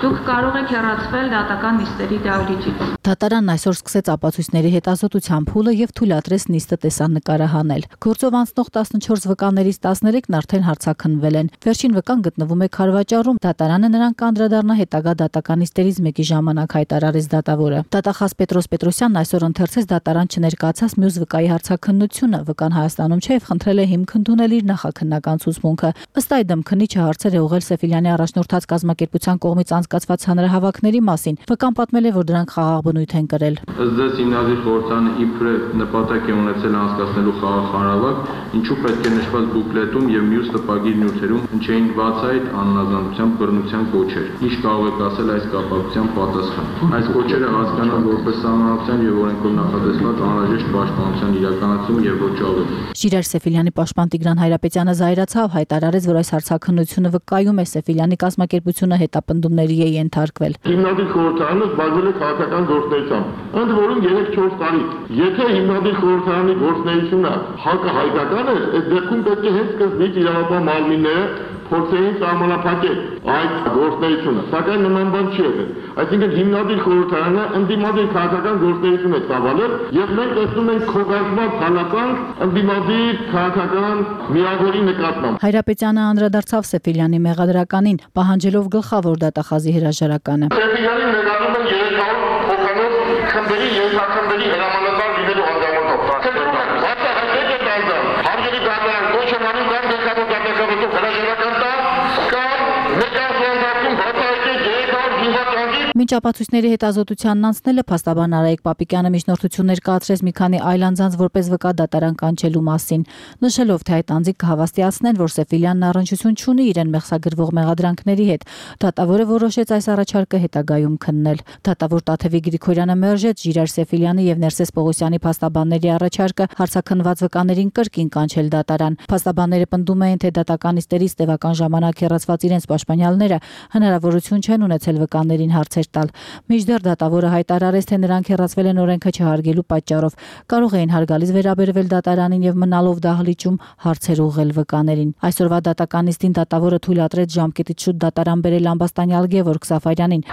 դուք կարող եք հեռացվել դատական նիստերի դահլիճից։ Դատարանն այսօր սկսեց ապացույցների հետազոտության փուլը եւ թույլատրեց նիստը տեսանկարահանել։ Գործով անցնող 14 վկաներից 13-ն արդեն հարցաքննվել են։ Վերջին վկան գտնվում է Քարվաճառում։ Դատարանը նրան կանդրադառնա հետագա դատական նիստերից մեկի ժամանակ, հայտարարեց դատավորը։ Դատախազ Պետրոս Պետրոսյանն այսօր ընթերցեց դատարան չներկայացած մյուս վկայի հարցաքննությունը։ Վկան Հայաստանում չէ եւ խնդրել է հիմք ընդունել իր նախաքննական ցուցմունքը։ Ըստ այդմ քննիչը հարցեր է ուղղել Սեֆիլյանի առաջնորդած կազմակերպության կողմից անցկացված հանրահավաքների մասին։ Վկան պատմել է, որ դրանք խաղաղ բնույթ են կրել։ Ըստ ձեզ հիմնադիր խորհրդարանը իբրե նպատակ է ունեցել անցկացնելու խաղաղ հանրահավաք, ինչու պետք է նշված բուկլետում եւ մյուս տպագիր նյութերում հնչեին բացահայտ անհնազանդության բռնության կոչեր։ Ինչ կարող եք ասել այս կապակցությամբ պատասխան։ Այս կոչերը հասկանան որպես սահմանության եւ օրենքով նախատեսված անհրաժեշտ պաշտպանության իրականացում եւ ոչ ավելի։ Ժիրայր Սեֆիլյանի պաշտպան Տիգրան Հայրապետյանը զայրացավ, հայտարարեց, որ այս հարցաքննությունը վկայում է Սեֆիլյանի կազմակերպությունը հետապնդումների է ենթարկվել։ Հիմնադիր խորհրդարանը զբաղվել է քաղաքական գործունեությամբ, ընդ որում 3-4 տարի։ Եթե հիմնադիր խորհրդարանի գործունեությունը հակահայկական է, այդ դեպքում պետք է հենց սկզբից իրավապահ մարմինները փորձեին սահմանափակել այդ գործունեությունը, սակայն նման բան չի եղել։ Այսինքն հիմնադիր խորհրդարանը ընդդիմադիր քաղաքական գործունեություն է ծավալել եւ մենք տեսնում ենք քողարկված հալածանք ընդդիմադիր քաղաքական միավորի նկատմամբ։ Հայրապետյանը անդրադարձավ Սեֆիլյանի մեղադրականին, պահանջելով գլխավոր դատախազի հրաժարականը։ Սեֆիլյանին մեղադրում են 300 հոգանոց խմբերի ենթախմբերի հրամանատար լինելու անձամով։ Կտրում են բացահայտել է դարձան, հարգելի դատարան կոչումանում կան գլխավոր դատախազով հրաժարական տա կամ ներկայացնում բացահայտել 300 զինվորների։ Մինչ ապացույցների հետազոտությանն անցնելը փաստաբան Արայիկ Պապիկյանը միջնորդություններ կացրեց մի քանի այլ անձանց որպես վկա դատարան կանչելու մասին, նշելով, թե այդ անձիկ կհավաստիացնեն, որ Սեֆիլյանն առնչություն չունի իրեն մեղսագրվող մեղադրանքների հետ։ Դատավորը որոշեց այս առաջարկը հետագայում քննել։ Դատավոր Տաթևիկ Գրիգորյանը մերժեց Ժիրայր Սեֆիլյանի եւ Ներսես Պողոսյանի փաստաբանների առաջարկը հարցաքննված վկաներին կրկին կանչել դատարան։ Փաստաբանները պնդում էին, թե դատական նիստերից տևական ժամանակ հեռացված իրենց պաշտպանյալները հնարավորություն չեն ունեցել վկաներին հարցեր տալ։ Մինչդեռ դատավորը հայտարարեց, թե նրանք հեռացվել են օրենքը չհարգելու պատճառով, կարող էին հարգալից վերաբերվել դատարանին եւ մնալով դահլիճում հարցեր ուղղել վկաներին։ Այսօրվա դատական նիստին դատավորը թույլատրեց ժամկետից շուտ դատարան բերել ամբաստանյալ Գևորգ Սաֆարյանին։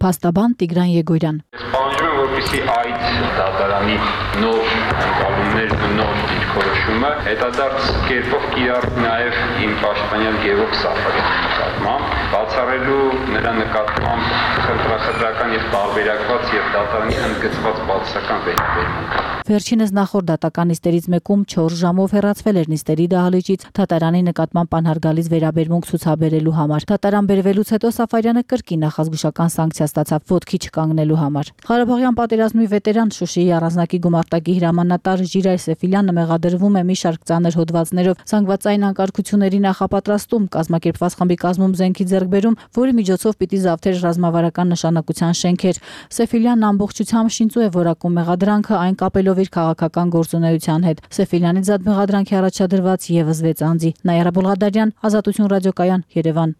Փաստաբան Տիգրան Եգորյան։ Պահանջում եմ, որպեսզի այդ դատարանի նոր ընկալումներ ու նոր դիրքորոշումը հետադարձ կերպով կիրառվի նաև իմ պաշտպանյալ Գևորգ Սաֆարյանի նկատմամբ, բացառելու նրա նկատմամբ խնդրախնդրական եւ տարբերակված եւ դատարանի ընդգծված բացասական վերաբերմունք։ Վերջինս նախորդ դատական նիստերից մեկում 4 ժամով հեռացվել էր նիստերի դահլիճից դատարանի նկատմամբ անհարգալից վերաբերմունք ցուցաբերելու համար։ Դատարան բերվելուց հետո Սաֆարյանը կրկին նախազգուշական սանկցիա ստացավ ոտքի չկանգնելու համար։ Ղարաբաղյան պատերազմի վետերան Շուշիի առանձնակի գումարտակի հրամանատար Ժիրայր Սեֆիլյանը մեղադրվում է մի շարք ծանր հոդվածներով զանգվածային անկարգությունների նախապատրաստում, կազմակերպված խմբի կազմում զենքի ձեռքբերում, որի միջոցով պիտի զավթեր ռազմավարական նշանակության շենքեր։ Սեֆիլյանն ամբողջությամբ շինծու է որակում մեղադրանքը, այն կապելով իր քաղաքական գործունեության հետ։ Սեֆիլյանի զատ մեղադրանքի առաջադրված եւս 6 անձի։ Նաիրա Բուլղադարյան, Ազատություն ռադիոկայան, Երևան։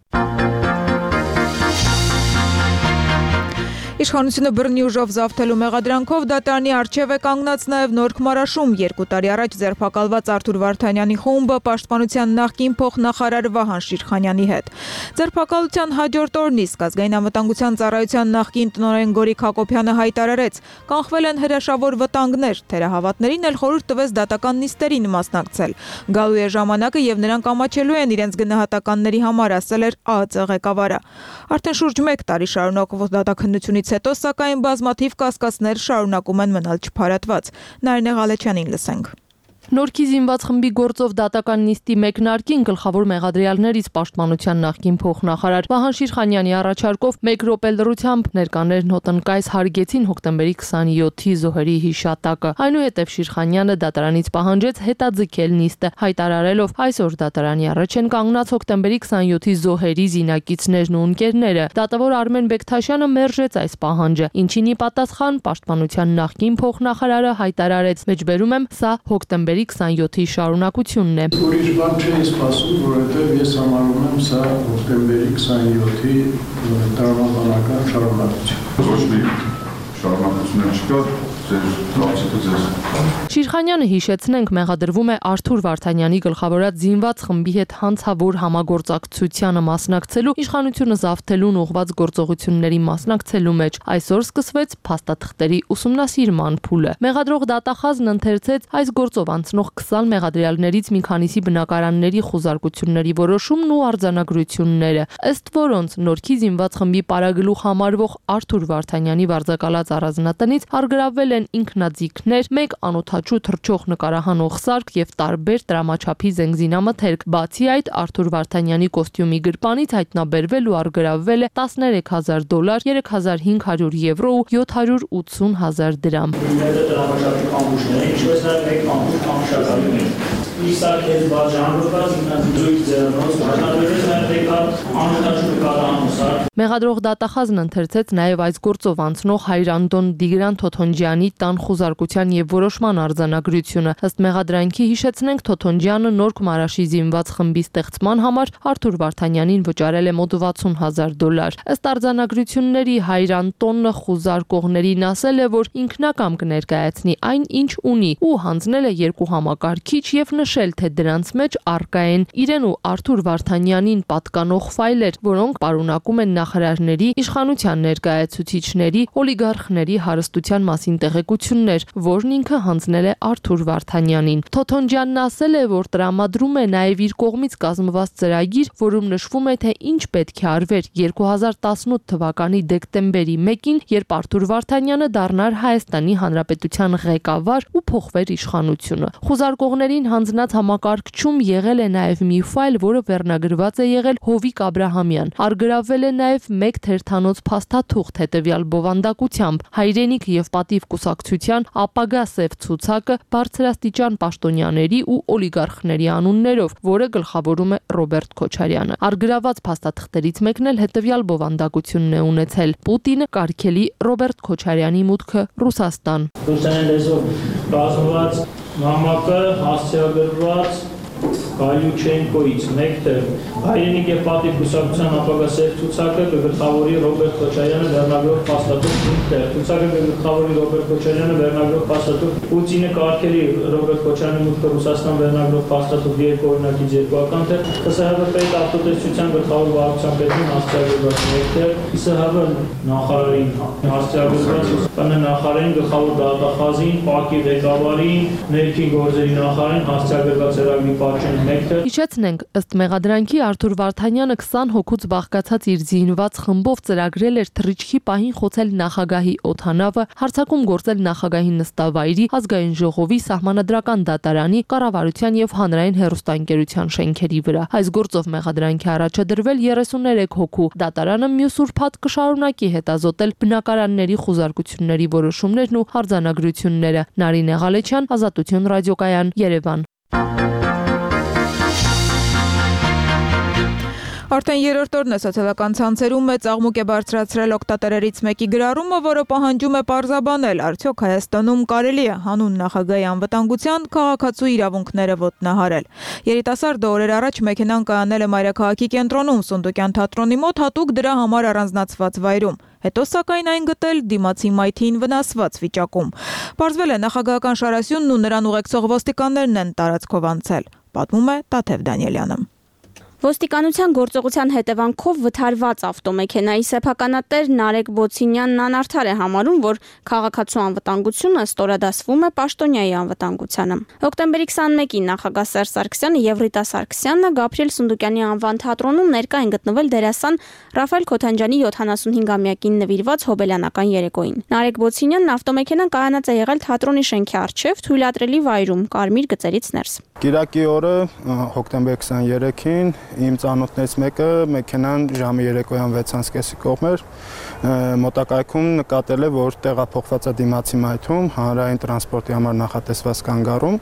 Իշխանությունը բռնի ուժով զավթելու մեղադրանքով դատարանի առջև է կանգնած նաև Նորք Մարաշում 2 տարի առաջ ձերբակալված Արթուր Վարդանյանի խումբը պաշտպանության նախկին փոխնախարար Վահան Շիրխանյանի հետ։ Ձերբակալության հաջորդ օրն իսկ ազգային անվտանգության ծառայության նախկին տնօրեն Գորիկ Հակոբյանը հայտարարեց, կանխվել են հրաշավոր վտանգներ, թերահավատներին էլ խորհուրդ տվեց դատական նիստերին մասնակցել։ Գալու է ժամանակը եւ նրանք ամաչելու են իրենց գնահատականների համար, ասել էր ԱԱԾ ղեկավարը։ Արդեն շուրջ 1 տարի շարունակվող դատաքննությունից հետո սակայն բազմաթիվ կասկածներ շարունակում են մնալ չփարատված։ Նարինե Ղալեչյանին լսենք։ Նորքի զինված խմբի գործով դատական նիստի մեկնարկին գլխավոր մեղադրյալներից պաշտպանության նախկին փոխնախարար Վահան Շիրխանյանի առաջարկով 1 րոպե լռությամբ ներկաներն հոտնկայս հարգեցին հոկտեմբերի 27-ի զոհերի հիշատակը։ Այնուհետև Շիրխանյանը դատարանից պահանջեց հետաձգել նիստը, հայտարարելով այսօր դատարանի առաջ են կանգնած հոկտեմբերի 27-ի զոհերի զինակիցներն ու ընկերները։ Դատավոր Արմեն Բեկթաշյանը մերժեց այս պահանջը, ինչին ի պատասխան պաշտպանության նախկին փոխնախարարը հայտարարեց. «Մեջբերում եմ, սա հոկտեմբերի 27-ի շարունակությունն է»։ Ուրիշ բան չէի սպասում, որովհետև ես համարում եմ սա հոկտեմբերի 27-ի տրամաբանական շարունակություն։ Ոչ մի շարունակություն չկա, Շիրխանյանը հիշեցնենք մեղադրվում է Արթուր Վարդանյանի գլխավորած զինված խմբի հետ հանցավոր համագործակցությանը մասնակցելու, իշխանությունը զավթելուն ուղղված գործողությունների մասնակցելու մեջ։ Այսօր սկսվեց փաստաթղթերի ուսումնասիրման փուլը։ Մեղադրող դատախազն ընթերցեց այս գործով անցնող 20 մեղադրյալներից մի քանիսի բնակարանների խուզարկությունների որոշումն ու արձանագրությունները, ըստ որոնց Նորքի զինված խմբի պարագլուխ համարվող Արթուր Վարդանյանի վարձակալած առանձնատնից առգրավվել են ինքնաձիգներ, 1 անօթաչու թռչող նկարահանող սարք եւ տարբեր տրամաչափի զենգզինամթերք։ Բացի այդ, Արթուր Վարդանյանի կոստյումի գրպանից հայտնաբերվել ու առգրավվել է $13,000, 3,500 եվրո ու 780,000 դրամ։ Մեղադրող դատախազն ընթերցեց նաև այս գործով անցնող Հայրանդոն Դիգրան Թոթոնջյանի տան խուզարկության եւ որոշման արձանագրությունը։ Ըստ մեղադրանքի հիշեցնենք, Թոթոնջյանը Նորք Մարաշի զինված խմբի ստեղծման համար Արթուր Վարդանյանին վճարել է մոտ $60,000։ Ըստ արձանագրությունների Հայրանդոնը խուզարկողներին ասել է, որ ինքնակամ կներկայացնի այն, ինչ ունի, ու հանձնել է 2 համակարգիչ եւ նշել, թե դրանց մեջ առկա են իրեն ու Արթուր Վարդանյանին պատկանող ֆայլեր, որոնք պարունակում են նախարարների, իշխանության ներկայացուցիչների, օլիգարխների հարստության մասին տեղեկություններ, որն ինքը հանձնել է Արթուր Վարդանյանին։ Թոթոնջյանն ասել է, որ տրամադրում է նաև իր կողմից կազմված ծրագիր, որում նշվում է, թե ինչ պետք է արվեր 2018 թվականի դեկտեմբերի 1-ին, երբ Արթուր Վարդանյանը դառնար Հայաստանի Հանրապետության ղեկավար ու փոխվեր իշխանությունը։ Խուզարկողներին հանձնած համակարգչում եղել է նաև մի ֆայլ, որը վերնագրված է եղել Հովիկ Աբրահամյան։ Առգրավվել է նաև 1 թերթանոց փաստաթուղթ հետևյալ բովանդակությամբ. հայրենիք եւ պատիվ կուսակցության ապագա սև ցուցակը բարձրաստիճան պաշտոնյաների ու օլիգարխների անուններով, որը գլխավորում է Ռոբերտ Քոչարյանը։ Առգրաված փաստաթղթերից մեկն էլ հետևյալ բովանդակությունն է ունեցել. Պուտինը կարգելի Ռոբերտ Քոչարյանի մուտքը Ռուսաստան։ Ռուսաստան լեզվով բազմված նամակը հասցեագրված Գալյուչենկոից մեկը հայրենիք եւ պատիվ կուսակցության ապագա սև ցուցակը գլխավորի Ռոբերտ Քոչարյանը վերնագրով փաստաթուղթ ինքն ցուցակը գլխավորի Ռոբերտ Քոչարյանը վերնագրով փաստաթուղթ Պուտինը կարգելի Ռոբերտ Քոչարյանի մուտքը Ռուսաստան վերնագրով փաստաթուղթ 2 օրինակից 2 ական թե ԽՍՀՎ պետ ավտոտեսչության գլխավոր վարչության պետին հասցեագրված մեկը ԽՍՀՎ նախարարին հասցեագրված ԿՆ նախարարին գլխավոր դատախազին ՊԱԿ-ի ղեկավարին ներքին գործերի նախարարին հասցեագրված ծրագրի պատճեն Հիշեցնենք, ըստ մեղադրանքի Արթուր Վարդանյանը 20 հոգուց բաղկացած իր զինված խմբով ծրագրել էր թռիչքի պահին խոցել նախագահի օդանավը, հարձակում գործել նախագահի նստավայրի, ազգային ժողովի, սահմանադրական դատարանի, կառավարության եւ հանրային հեռուստաընկերության շենքերի վրա։ Այս գործով մեղադրանքի առաջադրվել 33 հոգու։ Դատարանը մյուս ուրբաթ կշարունակի հետազոտել բնակարանների խուզարկությունների որոշումներն ու արձանագրությունները։ Նարինե Ղալեչյան, Ազատություն ռադիոկայան, Երևան։ Արդեն երրորդ օրն է սոցիալական ցանցերում մեծ աղմուկ է բարձրացրել օգտատերերից մեկի գրառումը, որը պահանջում է պարզաբանել, արդյոք Հայաստանում կարելի է հանուն նախագահի անվտանգության քաղաքացու իրավունքները ոտնահարել։ Երիտասարդը օրեր առաջ մեքենան կայանել է մայրաքաղաքի կենտրոնում Սունդուկյան թատրոնի մոտ հատուկ դրա համար առանձնացված վայրում։ Հետո սակայն այն գտել դիմացի մայթին վնասված վիճակում։ Պարզվել է նախագահական շարասյունն ու նրան ուղեկցող ոստիկաններն են տարածքով անցել, պատմում է Տաթև Դանիելյանը։ Ոստիկանության գործողության հետևանքով վթարված ավտոմեքենայի սեփականատեր Նարեկ Բոցինյանն անարդար է համարում, որ քաղաքացու անվտանգությունը ստորադասվում է պաշտոնյայի անվտանգությանը։ Հոկտեմբերի 21-ին նախագահ Սերժ Սարգսյանը եւ Ռիտա Սարգսյանը Գաբրիել Սունդուկյանի անվան թատրոնում ներկա են գտնվել դերասան Ռաֆայել Քոթանջյանի 75-ամյակին նվիրված հոբելյանական երեկոյին։ Նարեկ Բոցինյանն ավտոմեքենան կայանած է եղել թատրոնի շենքի առջև թույլատրելի վայրում, կարմիր գծերից ներս։ Կիրակի օրը հոկտեմբեր 23-ին իմ ծանոթներից մեկը մեքենան ժամը երեկոյան 6:30-ի կողմեր մոտակայքում նկատել է, որ տեղափոխված է դիմացի մայթում հանրային տրանսպորտի համար նախատեսված կանգառում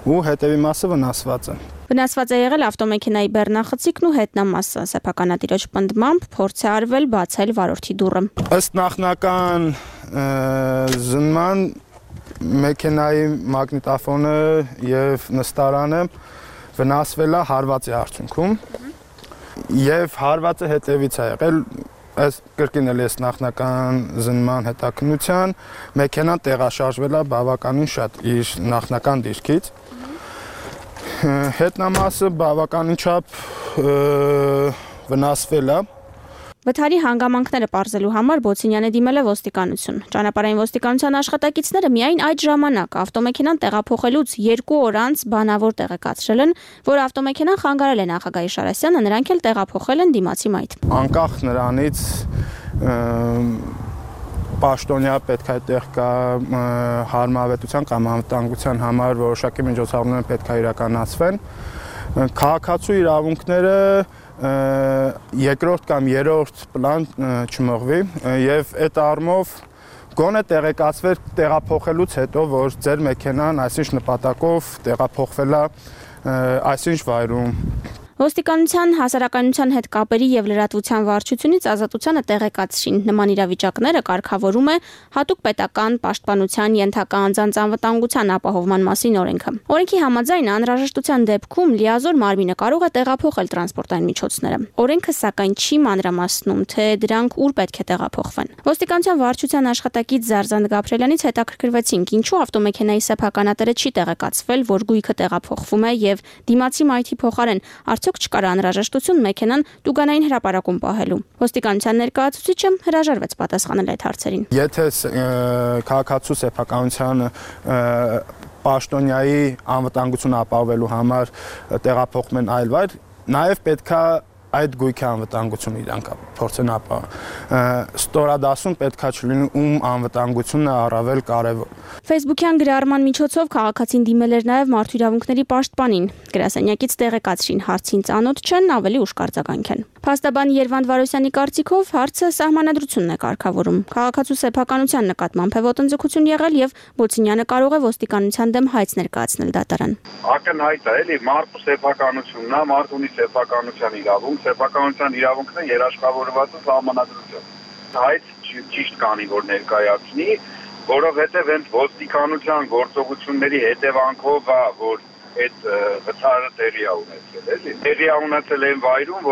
ու հետևի մասը վնասված է։ Վնասված է եղել ավտոմեքենայի բեռնախցիկն ու հետնամասը։ Սեփականատիրոջ պնդմամբ փորձ է արվել բացել վարորդի դուռը։ Ըստ նախնական զննման մեքենայի մագնիտոֆոնը եւ նստարանը վնասվել է հարվածի արդյունքում եւ հարվածը հետեւից է եղել այս կրկին էլ էս նախնական զննման հետաքննության մեքենան տեղաշարժվել է բավականին շատ իր նախնական դիրքից հետնամասը բավականին չափ վնասվել է Վթարի հանգամանքները պարզելու համար Բոցինյանը դիմել է ոստիկանություն։ Ճանապարհային ոստիկանության աշխատակիցները միայն այդ ժամանակ ավտոմեքենան տեղափոխելուց 2 օր անց բանավոր տեղեկացրել են, որ ավտոմեքենան խանգարել է նախագահ Շարասյանը, նրանք էլ տեղափոխել են դիմացի մայթ։ Անկախ նրանից պաշտոնյա պետք է այդտեղ կա հարմարավետության կամ անվտանգության համար որոշակի միջոցառումներ պետք է իրականացվեն։ Քաղաքացու իրավունքները երկրորդ կամ երրորդ պլան չմղվի եւ այդ առումով գոնե տեղեկացվեր տեղափոխելուց հետո որ ձեր մեքենան այսինչ նպատակով տեղափոխվել է այսինչ վայրում Ոստիկանության հասարակայնության հետ կապերի եւ լրատվության վարչությունից ազատությանը տեղեկացրին նման իրավիճակները կարգավորում է հատուկ պետական պաշտպանության ենթակա անձանց անվտանգության ապահովման մասին օրենքը։ Օրենքի համաձայն անհրաժեշտության դեպքում լիազոր մարմինը կարող է տեղափոխել տրանսպորտային միջոցները։ Օրենքը սակայն չի մանրամասնում, թե դրանք ուր պետք է տեղափոխվեն։ Ոստիկանության վարչության աշխատակից Զարզան Գաբրելյանից հետաքրքրվեցինք, ինչու ավտոմեքենայի սեփականատերը չի տեղեկացվել, որ գույքը տեղափոխվում է եւ դիմացի մայթի փոխարեն Արդյոք չկար անհրաժեշտություն մեքենան Տուգանային հրապարակում պահելու։ Ոստիկանության ներկայացուցիչը հրաժարվեց պատասխանել այդ հարցերին։ Եթե քաղաքացու սեփականության պաշտոնյայի անվտանգությունը ապահովելու համար տեղափոխում են այլ վայր, նաև պետքա այդ գույքի անվտանգությունը իրանք փորձեն ապահովել։ Ստորադասում պետքա չլինի ում անվտանգությունն է առավել կարևոր։ Facebook-յան գրառման միջոցով քաղաքացին դիմել էր նաև մարդու իրավունքների պաշտպանին։ Գրասենյակից տեղեկացրին հարցին ծանոթ չեն, ավելի ուշ կարձագանքեն։ Փաստաբան Երվանդ Վարոսյանի կարծիքով հարցը սահմանադրությունն է կարգավորում։ Քաղաքացու սեփականության նկատմամբ է ոտնձգություն եղել եւ Բոցինյանը կարող է ոստիկանության դեմ հայց ներկայացնել դատարան։ Ակնհայտ է, էլի մարդու սեփականությունն է, մարդ ունի սեփականության իրավունք, սեփականության իրավունքն է երաշխավորված է սահմանադրությամբ։ Հայց ճիշտ կանի որ ներկայացնի, որովհետեւ հենց ոստիկանության գործողությունների հետևանքով է որ այդ վթարը տեղի է ունեցել, էլի։ Տեղի է ունեցել այն վայրում,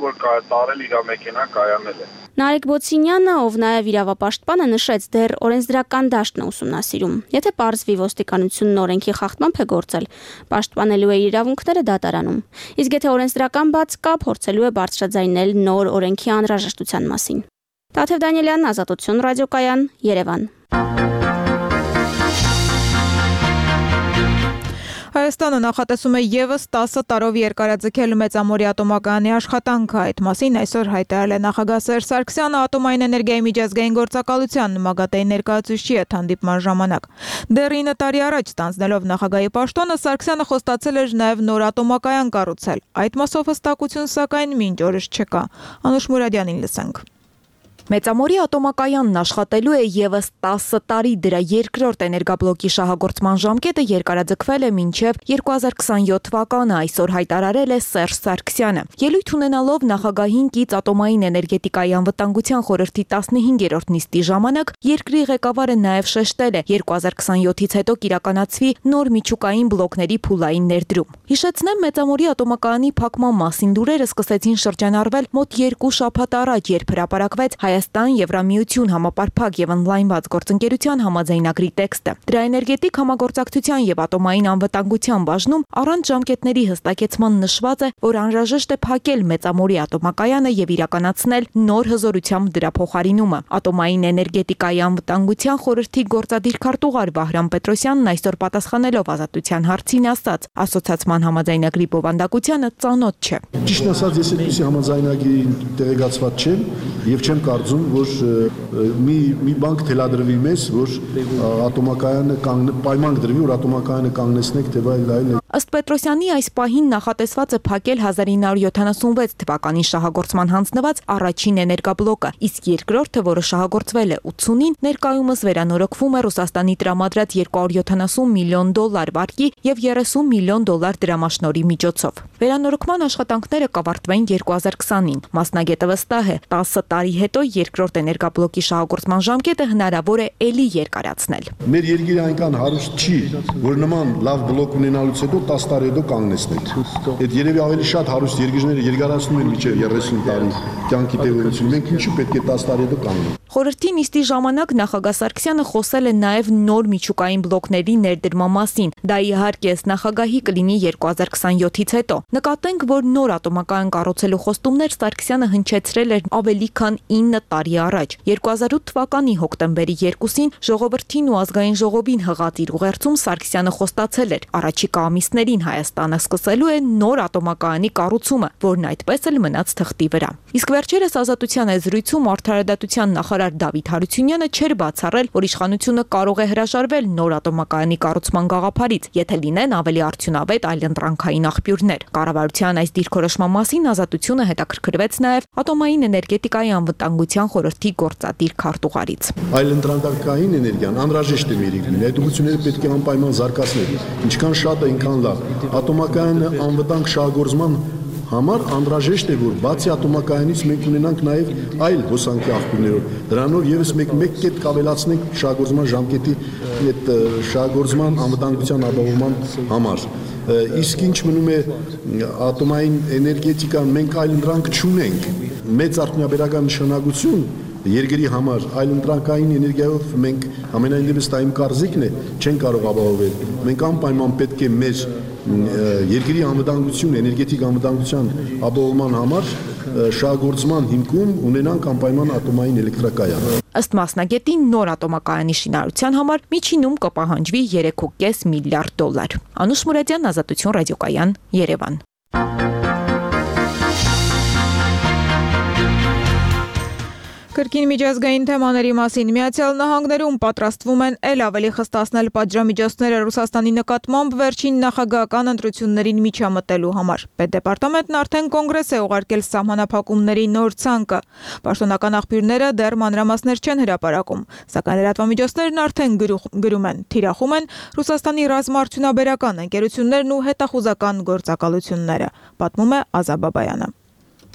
որ տարել իր մեքենան կայանել է։ Նարեկ Բոցինյանը, ով նաև իրավապաշտպանը, նշեց դեռ օրենսդրական դաշտն է ուսումնասիրում։ Եթե պարզվի ոստիկանությունն օրենքի խախտմամբ է գործել, պաշտպանելու է իրավունքները դատարանում։ Իսկ եթե օրենսդրական բաց կա, փորձելու է բարձրաձայնել նոր օրենքի անհրաժեշտության մասին։ Տաթև Դանիելյան, Ազատություն ռադիոկայան, Երևան։ Հայաստանը նախատեսում է եւս 10 տարով երկարաձգել Մեծամորի ատոմակայանի աշխատանքը։ Այդ մասին այսօր հայտարարել է նախագահ Սերժ Սարգսյանը ատոմային էներգիայի միջազգային գործակալության ՄԱԳԱՏԵ-ի ներկայացուցչի հետ հանդիպման ժամանակ։ Դեռ 9 տարի առաջ ստանձնելով նախագահի պաշտոնը Սարգսյանը խոստացել էր նաեւ նոր ատոմակայան կառուցել։ Այդ մասով հստակություն սակայն մինչ օրս չկա։ Անուշ Մուրադյանին լսենք։ Մեծամորի ատոմակայանն աշխատելու է եւս 10 տարի, դրա երկրորդ էներգաբլոկի շահագործման ժամկետը երկարաձգվել է մինչև 2027 թվականը, այսօր հայտարարել է Սերժ Սարգսյանը։ Ելույթ ունենալով նախագահին կից ատոմային էներգետիկայի անվտանգության խորհրդի 15-րդ նիստի ժամանակ երկրի ղեկավարը նաեւ շեշտել է 2027-ից հետո կիրականացվի նոր միջուկային բլոկների փուլային ներդրում։ Հիշեցնեմ, Մեծամորի ատոմակայանի փակման մասին լուրերը սկսեցին շրջանառվել մոտ 2 շաբաթ առաջ, երբ հրապարակվեց Հայաստան-Եվրամիություն համապարփակ եւ ընդլայնված գործընկերության համաձայնագրի տեքստը։ Դրա էներգետիկ համագործակցության եւ ատոմային անվտանգության բաժնում առանց ժամկետների հստակեցման նշված է, որ անհրաժեշտ է փակել Մեծամորի ատոմակայանը եւ իրականացնել նոր հզորությամբ դրա փոխարինումը։ Ատոմային էներգետիկայի անվտանգության խորհրդի գործադիր քարտուղար Վահրամ Պետրոսյանն այսօր պատասխանելով Ազատության հարցին ասաց. ասոցիացիան համաձայնագրի բովանդակությանը ծանոթ չէ։ Ճիշտ ասած, ես այդպիսի համաձայնագրի տեղեկացված չեմ եւ չեմ կարծում, որ մի բանկ թելադրվի մեզ, որ ատոմակայանը պայման դրվի, որ ատոմակայանը կանգնեցնեք, թե այլ։ Ըստ Պետրոսյանի այս պահին նախատեսված է փակել 1976 թվականին շահագործման հանձնված առաջին էներգաբլոկը, իսկ երկրորդը, որը շահագործվել է 80-ին, ներկայումս վերանորոգվում է Ռուսաստանի տրամադրած $270 միլիոն վարկի եւ $30 միլիոն դրամաշնորհի միջոցով։ Վերանորոգման աշխատանքները կավարտվեն 2020-ին։ Մասնագետը վստահ է, 10 տարի հետո երկրորդ էներգաբլոկի շահագործման ժամկետը հնարավոր է ելի երկարացնել։ Մեր երկիրը այնքան հարուստ չի, որ նման լավ բլոկ ունենալուց հետո 10 տարի հետո կանգնեցնել։ Այդ երևի ավելի շատ հարուստ երկրները երկարացնում են մինչև 30 տարի կյանքի տևողություն։ Մենք ինչու պետք է 10 տարի հետո կանգնենք։ Խորհրդի նիստի ժամանակ նախագահ Սարգսյանը խոսել է նաև նոր միջուկային բլոկների ներդրման մասին։ Դա իհարկե նախագահի կլինի 2027-ից հետո։ Նկատենք, որ նոր ատոմակայան կառուցելու խոստումներ Սարգսյանը հնչեցրել էր ավելի քան 9 տարի առաջ։ 2008 թվականի հոկտեմբերի 2-ին Ժողովրդին ու ազգային ժողովին հղած իր ուղերձում Սարգսյանը խոստացել էր. առաջիկա ամիսներին Հայաստանը սկսելու է նոր ատոմակայանի կառուցումը, որն այդպես էլ մնաց թղթի վրա։ Իսկ վերջերս Ազատության զրույցում արդարադատության նախարար Դավիթ Հարությունյանը չէր բացառել, որ իշխանությունը կարող է հրաժարվել նոր ատոմակայանի կառուցման գաղափարից, եթե լինեն ավելի արդյունավետ այլընտրանքային աղբյուրներ։ Կառավարության այս դիրքորոշման մասին Ազատությունը հետաքրքրվեց նաև ատոմային էներգետիկայի անվտանգության խորհրդի գործադիր քարտուղարից։ Այլընտրանքային էներգիան անհրաժեշտ է մեր երկրին, այդ ուղղությունները պետք է անպայման զարգացնել։ Ինչքան շատ է, այնքան լավ։ Ատոմակայանը անվտանգ շահագործման համար անհրաժեշտ է, որ բացի ատոմակայանից մենք ունենանք նաև այլ հոսանքի աղբյուրներ։ Դրանով եւս մեկ կետ կավելացնենք շահագործման ժամկետի այդ շահագործման անվտանգության ապահովման համար։ Իսկ ինչ մնում է ատոմային էներգետիկան, մենք այլ ընտրանք չունենք։ Մեծ արդյունաբերական նշանակություն երկրի համար այլընտրանքային էներգիայով մենք ամենայն դեպս դա իմ կարծիքն է, չեն կարող ապահովել։ Մենք անպայման պետք է մեր երկրի անվտանգություն, էներգետիկ անվտանգության ապահովման համար շահագործման հիմքում ունենանք անպայման ատոմային էլեկտրակայան։ Ըստ մասնագետի նոր ատոմակայանի շինարարության համար միջինում կպահանջվի $3.5 միլիարդ։ Անուշ Մուրադյան, Ազատություն ռադիոկայան, Երևան։ Կրկին միջազգային թեմաների մասին Միացյալ Նահանգներում պատրաստվում են ել ավելի խստացնել պատժամիջոցները Ռուսաստանի նկատմամբ վերջին նախագահական ընտրություններին միջամտելու համար։ Պետդեպարտամենտն արդեն կոնգրես է ուղարկել սահմանափակումների նոր ցանկը։ Պաշտոնական աղբյուրները դեռ մանրամասներ չեն հրապարակում, սակայն լրատվամիջոցներն արդեն գրում են, թիրախում են Ռուսաստանի ռազմաարդյունաբերական ընկերություններն ու հետախուզական գործակալությունները, պատմում է Ազա Բաբայանը։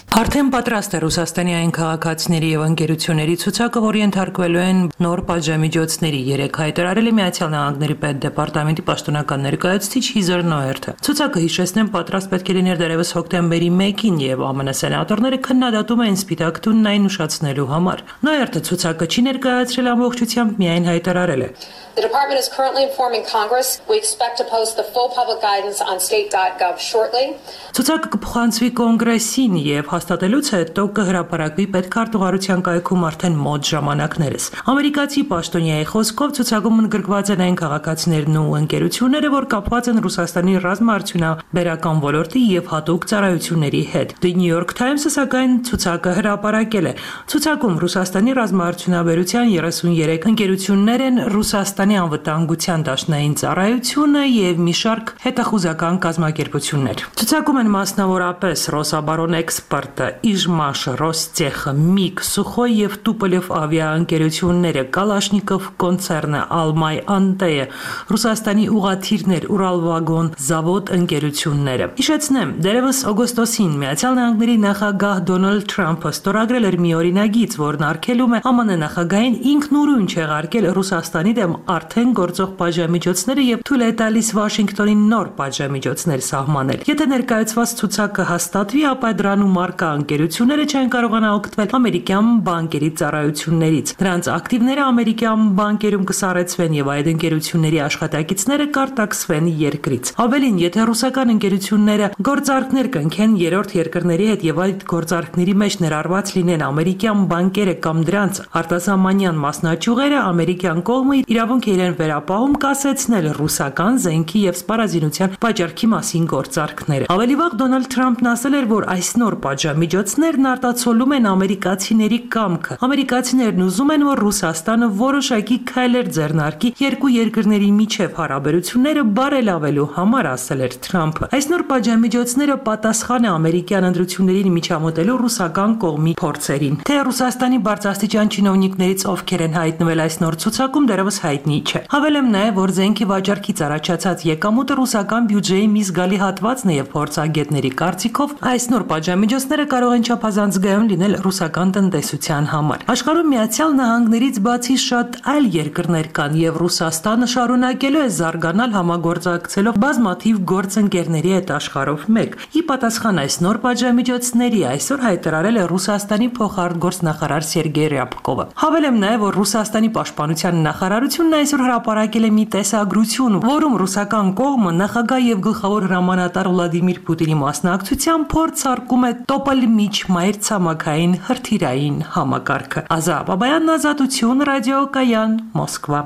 Արդեն պատրաստ է Ռուսաստանի այն քաղաքացիների եւ ընկերությունների ցուցակը, որի ենթարկվելու են նոր պատժամիջոցների։ Երեք հայտարարել է Միացյալ Նահանգների պետդեպարտամենտի պաշտոնական ներկայացուցիչ Հիզեր Նոերթը։ Ցուցակը, հիշեցնեմ, պատրաստ պետք է լիներ դեռևս հոկտեմբերի 1-ին եւ ԱՄՆ սենատորները քննադատում էին Սպիտակ տունն այն ուշացնելու համար։ Նոերթը ցուցակը չի ներկայացրել ամբողջությամբ, միայն հայտարարել է. The department is currently informing Congress. We expect to post the full public guidance on state.gov shortly. Ցուցակը կփոխանցվի կոնգրեսին եւ հաստատելուց հետո կհրապարակվի պետքարտուղարության կայքում արդեն մոտ ժամանակներս։ Ամերիկացի պաշտոնյայի խոսքով ցուցակում ընդգրկված են այն քաղաքացիներն ու ընկերությունները, որ կապված են Ռուսաստանի ռազմաարդյունաբերական ոլորտի եւ հատուկ ծառայությունների հետ։ The New York Times-ը սակայն ցուցակը հրապարակել է։ Ցուցակում Ռուսաստանի ռազմաարդյունաբերության 33 ընկերություններ են, Ռուսաստանի անվտանգության դաշնային ծառայությունը եւ մի շարք հետախուզական կազմակերպություններ։ Ցուցակում են մասնավորապես Ռոսաբարոն Էքսպորտը, Իժմաշը, Ռոստեխը, Միգ, Սուխոյ եւ Տուպոլև ավիաընկերությունները, Կալաշնիկով կոնցեռնը, Ալմայ Անտեյը, Ռուսաստանի ուղաթիռներ, Ուրալվագոն զավոդ ընկերությունները։ Հիշեցնեմ, դերևս օգոստոսին Միացյալ Նահանգների նախագահ Դոնալդ Թրամփը ստորագրել էր մի օրինագիծ, որն արգելում է ԱՄՆ նախագահին ինքնուրույն չեղարկել Ռուսաստանի դեմ արդեն գործող պատժամիջոցները եւ թույլ է տալիս Վաշինգտոնին նոր պատժամիջոցներ սահմանել։ Եթե ներկայացված ցուցակը հաստատվի, ապա դրանում առկա ՀԿ ընկերությունները չեն կարողանա օգտվել ամերիկյան բանկերի ծառայություններից։ Նրանց ակտիվները ամերիկյան բանկերում կսառեցվեն եւ այդ ընկերությունների աշխատակիցները կարտաքսվեն երկրից։ Ավելին, եթե ռուսական ընկերությունները գործարքներ կնքեն երրորդ երկրների հետ եւ այդ գործարքների մեջ ներառված լինեն ամերիկյան բանկերը կամ դրանց արտասահմանյան մասնաճյուղերը, ամերիկյան կողմը իրավունք է իրեն վերապահում կասեցնել ռուսական զենքի եւ սպառազինության վաճառքի մասին գործարքները։ Ավելի վաղ Դոնալդ Թրամփն ասել էր, որ այս նոր պատժամիջոցներն արտացոլում են ամերիկացիների կամքը։ Ամերիկացիներն ուզում են, որ Ռուսաստանը որոշակի քայլեր ձեռնարկի երկու երկրների միջև հարաբերությունները բարելավելու համար, ասել էր Թրամփը։ Այս նոր պատժամիջոցները պատասխան է ամերիկյան ընտրություններին միջամտելու ռուսական կողմի փորձերին։ Թե Ռուսաստանի բարձրաստիճան չինովնիկներից ովքեր են հայտնվել այս նոր ցուցակում, դեռևս հայտնի չէ։ Հավելեմ նաև, որ զենքի վաճառքից առաջացած եկամուտը ռուսական բյուջեի մի զգալի հատվածն է եւ փորձագետների կարծիքով այս նոր պատժամիջոցները կարող են չափազանցգայուն լինել ռուսական տնտեսության համար։ Աշխարհում Միացյալ Նահանգներից բացի շատ այլ երկրներ կան եւ Ռուսաստանը շարունակելու է զարգանալ համագործակցելով բազմաթիվ գործընկերների հետ աշխարհով մեկ։ Ի պատասխան այս նոր պատժամիջոցների այսօր հայտարարել է Ռուսաստանի փոխարտգործնախարար Սերգեյ Ռյաբկովը։ Հավելեմ նաև, որ Ռուսաստանի պաշտպանության նախարարությունն այսօր հրապարակել է մի տեսագրություն, որում ռուսական կողմը նախագահ եւ գլխավոր հրամանատար Վլադիմիր Պուտինի մասնակցությամբ փորձարկում է տոպել միջմայրցամաքային հրթիռային համակարգը։ Ազա Բաբայան, Ազատություն, Ռադիոկայան, Մոսկվա։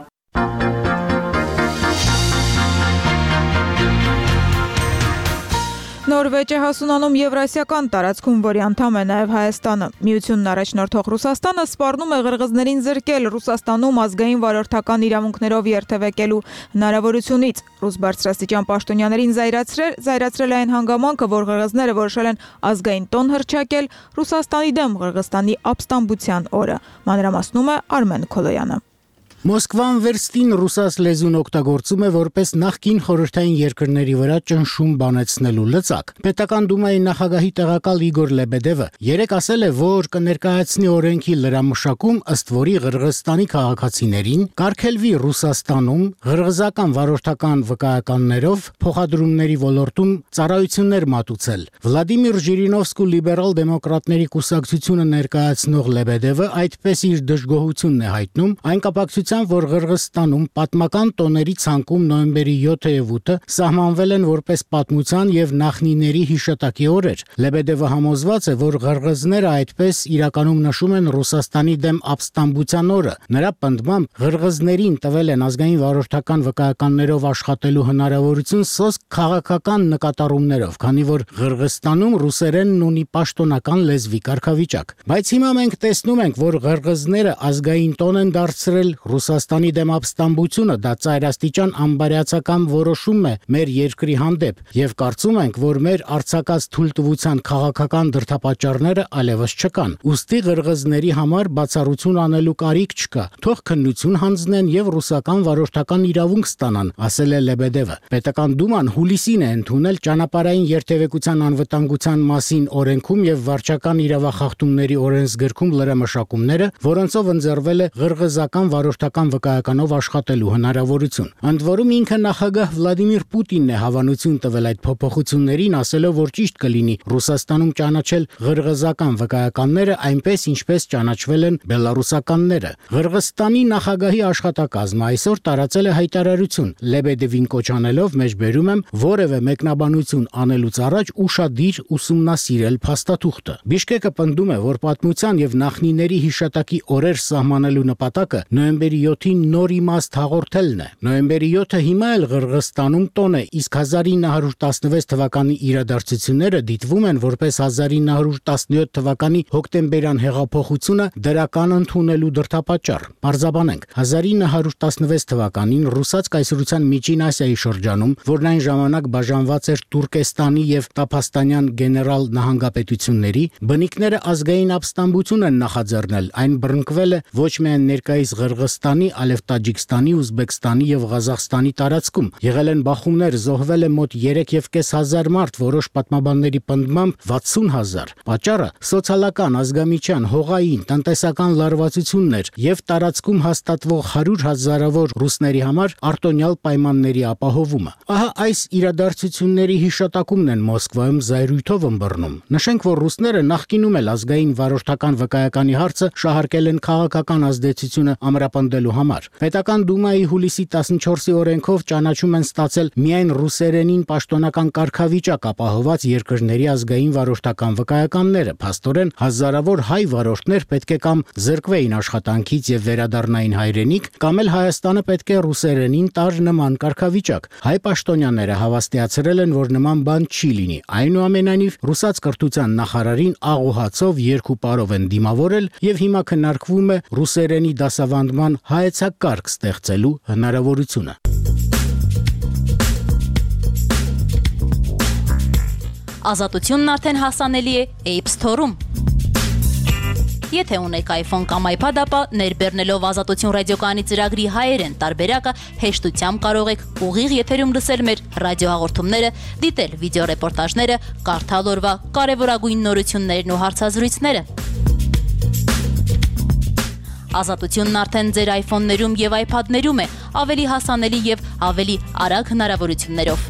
Նորվեջ է հասունանում Եվրասիական տարածքում, որի անդամ է նաև Հայաստանը։ Միությունն առաջնորդող Ռուսաստանը սպառնում է ղրղզներին զրկել Ռուսաստանում ազգային վարորդական իրավունքներով երթևեկելու հնարավորությունից։ Ռուս բարձրաստիճան պաշտոնյաներին զայրացրել այն հանգամանքը, որ ղրղզները որոշել են ազգային տոն հռչակել Ռուսաստանի դեմ Ղրղստանի ապստամբության օրը։ Մանրամասնում է Արմեն Քոլոյանը։ Մոսկվան վերստին ռուսաց լեզուն օգտագործում է որպես նախկին խորհրդային երկրների վրա ճնշում բանեցնելու լծակ։ Պետական դումայի նախագահի տեղակալ Իգոր Լեբեդևը երեկ ասել է, որ կներկայացնի օրենքի լրամշակում, ըստ որի Ղրղստանի քաղաքացիներին կարգելվի Ռուսաստանում ղրղզական վարորդական վկայականներով փոխադրումների ոլորտում ծառայություններ մատուցել։ Վլադիմիր Ժիրինովսկու լիբերալ դեմոկրատների կուսակցությունը ներկայացնող Լեբեդևը այդպես իր դժգոհությունն է հայտնում այն կապակցությամբ, որ Ղրղստանում պատմական տոների ցանկում նոյեմբերի 7-ը եւ 8-ը սահմանվել են որպես պատմության եւ նախնիների հիշատակի օրեր։ Լեբեդևը համոզված է, որ ղրղզները այդպես իրականում նշում են Ռուսաստանի դեմ ապստամբության օրը։ Նրա պնդմամբ ղրղզներին տվել են ազգային վարորդական վկայականներով աշխատելու հնարավորություն սոսկ քաղաքական նկատառումներով, քանի որ Ղրղստանում ռուսերենն ունի պաշտոնական լեզվի կարգավիճակ։ Բայց հիմա մենք տեսնում ենք, որ ղրղզները ազգային տոն են դարձրել Ռուսաստանի դեմ ապստամբությունը, դա ծայրաստիճան անբարյացակամ որոշում է մեր երկրի հանդեպ եւ կարծում ենք, որ մեր արձակած թույլտվության քաղաքական դրդապատճառները այլևս չկան։ Ուստի ղրղզների համար բացառություն անելու կարիք չկա։ Թող քննություն հանձնեն եւ ռուսական վարորդական իրավունք ստանան, ասել է Լեբեդևը։ Պետական դուման հուլիսին է ընդունել ճանապարհային երթևեկության անվտանգության մասին օրենքում եւ վարչական իրավախախտումների օրենսգրքում լրամշակումները, որոնցով ընձեռվել է ղրղզական վարորդական վկայականով աշխատելու հնարավորություն։ Ընդ որում ինքը նախագահ Վլադիմիր Պուտինն է հավանություն տվել այդ փոփոխություններին, ասելով, որ ճիշտ կլինի Ռուսաստանում ճանաչել ղրղզական վկայականները այնպես, ինչպես ճանաչվել են բելարուսականները։ Ղրղստանի նախագահի աշխատակազմը այսօր տարածել է հայտարարություն, Լեբեդևին կոչ անելով, մեջբերում եմ, որևէ մեկնաբանություն անելուց առաջ ուշադիր ուսումնասիրել փաստաթուղթը։ Բիշկեկը պնդում է, որ պատմության եւ նախնիների հիշատակի օրեր սահմանելու նպատակը նոյեմբերի 7-ին նոր իմաստ հաղորդելն է։ Նոյեմբերի 7-ը հիմա էլ Ղրղստանում տոն է, իսկ 1916 թվականի իրադարձությունները դիտվում են որպես 1917 թվականի հոկտեմբերյան հեղափոխությունը դրական ընդունելու դրդապատճառ։ Պարզաբանենք, 1916 թվականին ռուսաց կայսրության Միջին Ասիայի շրջանում, որն այն ժամանակ բաժանված էր Տուրկեստանի եւ Տափաստանյան գեներալ նահանգապետությունների, բնիկները ազգային ապստամբություն են նախաձեռնել, այն բռնկվել է ոչ միայն ներկայիս Ղրղստանի Կրղիզստանի, Ալև-Տաջիկստանի, Ուզբեկստանի եւ Ղազախստանի տարածքում։ Եղել են բախումներ, զոհվել է մոտ 3.500 մարդ, որոշ պատմաբանների պնդմամբ 60,000։ Պատճառը սոցիալական, ազգամիջյան, հողային, տնտեսական լարվածությունն էր եւ տարածքում հաստատվող 100,000-ավոր ռուսների համար արտոնյալ պայմանների ապահովումը։ Ահա այս իրադարձությունների հիշատակումն են Մոսկվայում զայրույթով ըմբռնում։ Նշենք, որ ռուսները նախկինում էլ ազգային վարորդական վկայականի հարցը շահարկել են քաղաքական ազդեցությունը ամրապնդելու համար։ Պետական դումայի հուլիսի 14-ի օրենքով ճանաչում են ստացել միայն ռուսերենին պաշտոնական կարգավիճակ ապահոված երկրների ազգային վարորդական վկայականները։ Փաստորեն հազարավոր հայ վարորդներ պետք է կամ զրկվեին աշխատանքից եւ վերադառնային հայրենիք, կամ էլ Հայաստանը պետք է ռուսերենին տար նման կարգավիճակ։ Հայ պաշտոնյաները հավաստիացրել են, որ նման բան չի լինի։ Այնուամենայնիվ, ռուսաց կրթության նախարարին աղոհացով երկու պարով են դիմավորել եւ հիմա քննարկվում է ռուսերենի դասավանդման հայեցակարգ ստեղծելու հնարավորությունը։ Ազատությունն արդեն հասանելի է App Store-ում։ Եթե ունեք iPhone կամ iPad, ապա ներբեռնելով Ազատություն ռադիոկայանի ծրագրի հայերեն տարբերակը հեշտությամբ կարող եք ուղիղ եթերում լսել մեր ռադիոհաղորդումները, դիտել վիդեոռեպորտաժները, կարդալ օրվա կարևորագույն նորություններն ու հարցազրույցները։ Ազատությունն արդեն ձեր iPhone-ներում եւ iPad-ներում է, ավելի հասանելի եւ ավելի արագ հնարավորություններով։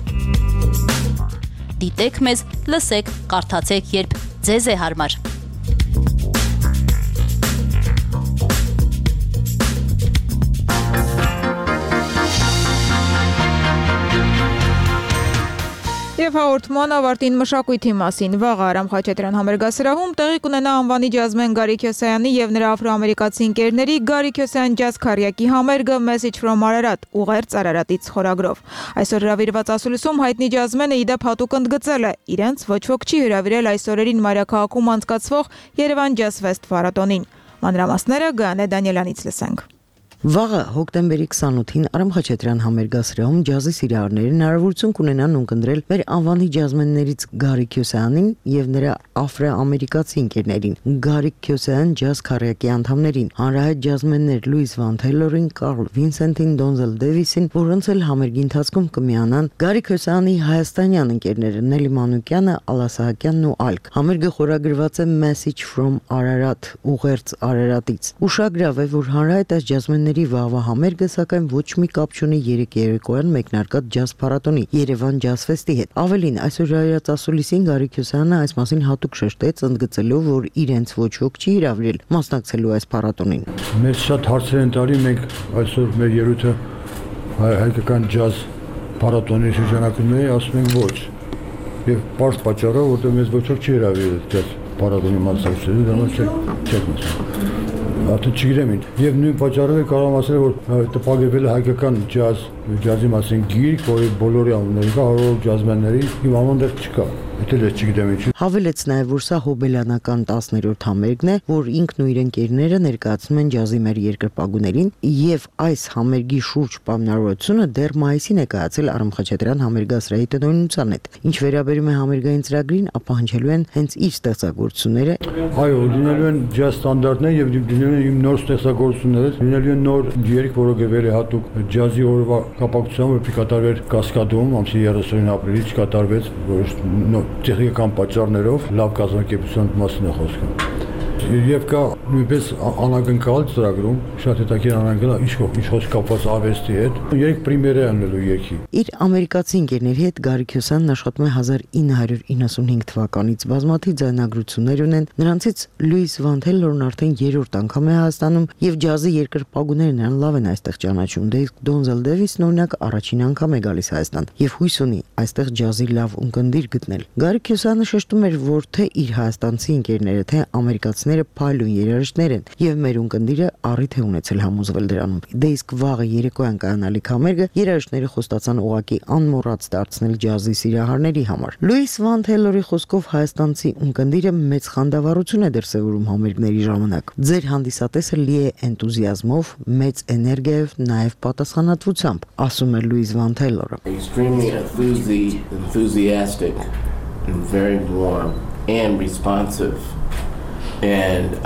Դիտեք մեզ, լսեք, կարդացեք, երբ ձեզ է հարմար։ Եվ հաղորդման ավարտին մշակույթի մասին վաղը Արամ Խաչատրյան համերգասրահում տեղի կունենա անվանի ջազմեն Գարի Քյոսայանի եւ նրա աֆրոամերիկացի ընկերների Գարի Քյոսայան ջազ քարյակի համերգը Message from Ararat ուղերձ Արարատից խորագրով։ Այսօր հրավիրված ասուլիսում հայտնի ջազմենը իդեպ հատուկ ընդգծել է իրենց ոչ ոք չի հրավիրել այս օրերին մայրաքաղաքում անցկացվող Երևան Jazz Fest փառատոնին։ Մանրամասները Գանե Դանիելյանից լսենք։ Վաղը հոկտեմբերի 28-ին Արամ Խաչատրյան համերգասրահում ջազի սիրահարները հնարավորություն կունենան ունկնդրել մեր անվանի ջազմեններից Գարի Քյոսայանին եւ նրա աֆրոամերիկացի ընկերներին, Գարի Քյոսայան ջազ քարյակի անդամներին, հանրահայտ ջազմեններ Լուիս Վան Թեյլորին, Կարլ Վինսենտին, Դոնզել Դեվիսին, որոնց էլ համերգի ընթացքում կմիանան Գարի Քյոսայանի հայաստանյան ընկերները Նելի Մանուկյանը, Ալլա Սահակյանն ու այլք։ Համերգը խորագրված է Message from Ararat ուղերձ Արարատից։ Ուշագրավ է, որ հանրահայտ այս ջազմենները վաղվա համերգը սակայն ոչ մի կապ չունի երեք երեկոյան մեկնարկած ջազ փառատոնի Երևան Jazz Fest-ի հետ։ Ավելին, այսօր հրավիրած ասուլիսին Գարի Քյոսայանը այս մասին հատուկ շեշտեց, ընդգծելով, որ իրենց ոչ ոք չի հրավիրել մասնակցելու այս փառատոնին։ Մեզ շատ հարցեր են տալի, մենք այսօր մեր ելույթը հայկական ջազ փառատոնի շրջանակում է, ասում ենք ոչ։ Եվ պարզ պատճառով, որտեղ մեզ ոչ ոք չի հրավիրել ջազ փառատոնի մասնակցելու, դրանով չեք մասնակցել։ Արդեն չգիտեմ ինչ։ Եվ նույն պատճառով է կարող ասել, որ տպագրվել է հայկական ջազի մասին գիրք, որի բոլորի անունները կա, հարյուր ջազմենների, իմ անունը դեռ չկա։ Դա էլ չգիտեմ ինչ։ Հավելեց նաև, որ սա հոբելյանական 10-րդ համերգն է, որ ինքն ու իր ընկերները ներկայացնում են ջազի մեր երկրպագուներին, եւ այս համերգի շուրջ պայմանավորությունը դեռ մայիսին է կայացել Արամ Խաչատրյան համերգասրահի տնօրինության հետ։ Ինչ վերաբերում է համերգային ծրագրին, ապա հնչելու են հենց իր ստեղծագործությունները։ Այո, լինելու են ջազ ստանդարտներ եւ լինելու են իմ նոր ստեղծագործությունները, լինելու են նոր երգ, որը գրվել է հատուկ ջազի օրվա կապակցությամբ, որը կատարվեր Կասկադում, ամսի 30-ին ապրիլի չկատարվեց, որոշ տեխնիկական պատճառներով լավ կազմակերպության մասին է խոսքը։ Եվ կա նույնպես անակնկալ ծրագրում շատ հետաքրքիր անակնկալ ինչ կապված արվեստի հետ, երեք պրեմիերա անելու երգի։ Իր ամերիկացի ընկերների հետ Գարի Քյոսայանն աշխատում է 1995 թվականից, բազմաթիվ ձայնագրություններ ունեն, նրանցից Լուիս Վան Թեյլորն արդեն 3-րդ անգամ է Հայաստանում եւ ջազի երկրպագուները նրան լավ են այստեղ ճանաչում։ Դե Դոնզել Դեվիսն օրինակ առաջին անգամ է գալիս Հայաստան եւ հույս ունի այստեղ ջազի լավ ունկնդիր գտնել։ Գարի Քյոսայանը շեշտում էր, որ թե իր հայաստանցի ընկերները, թե ամերիկացիները փայլուն երաժիշտներ են եւ մեր ունկնդիրը առիթ է ունեցել համոզվել դրանում։ Դե իսկ վաղը երեկոյան կայանալիք համերգը երաժիշտները խոստացան ուղակի անմոռաց դարձնել ջազի սիրահարների համար։ Լուիս Վան Թեյլորի խոսքով հայաստանցի ունկնդիրը մեծ խանդավառություն է դրսևորում համերգների ժամանակ։ Ձեր հանդիսատեսը լի է էնտուզիազմով, մեծ էներգիայով, նաեւ պատասխանատվությամբ, ասում է Լուիս Վան Թեյլորը։ Extremely enthusiastic and very warm and responsive. And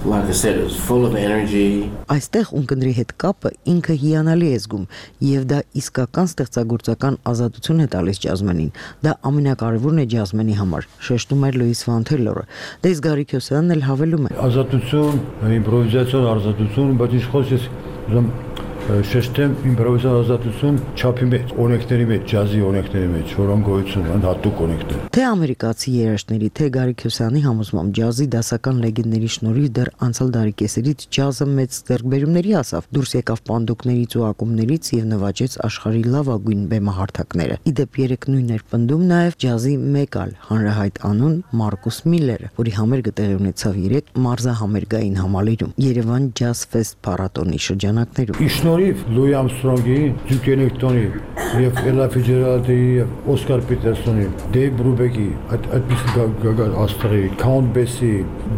like I said, it was full of energy. Այստեղ ունկնդրի հետ կապը ինքը հիանալի է զգում եւ դա իսկական ստեղծագործական ազատություն է տալիս ջազմենին։ Դա ամենակարևորն է ջազմենի համար, շեշտում էր Լուիս Վան Թելորը։ Դե իսկ Գարի Քյոսյանն էլ հավելում է. Ազատություն, իմպրովիզացիոն ազատություն, բայց ինչ խոսես շեշտեմ իմպրովիզացիոն ազատություն չափի մեջ, օրենքների մեջ, ջազի օրենքների մեջ, որոնք գոյություն ունեն, հատուկ օրենքներ։ Թե ամերիկացի երաժշտների, թե Գարի Քյոսյանի համոզմամբ ջազի դասական լեգենդների շնորհիվ դեռ անցյալ դարի կեսերից ջազը մեծ ձեռքբերումների հասավ, դուրս եկավ պանդոկներից ու ակումբներից եւ նվաճեց աշխարհի լավագույն բեմահարթակները։ Իդեպ երեք նույնն էր պնդում նաեւ ջազի մեկ այլ հանրահայտ անուն Մարկուս Միլլերը, որի համերգը տեղի ունեցավ 3 մարզահամերգային համալիրում Երևան Jazz Fest փառատոնի շրջանակներում։ Լուի Ամստրոնգի, Դյուկ Էլեկտոնի եւ Էլա Ֆիցջերալդի եւ Օսկար Պիտերսոնի, Դեյվ Բրուբեկի, այդ աստղի, Քաունտ Բեսի,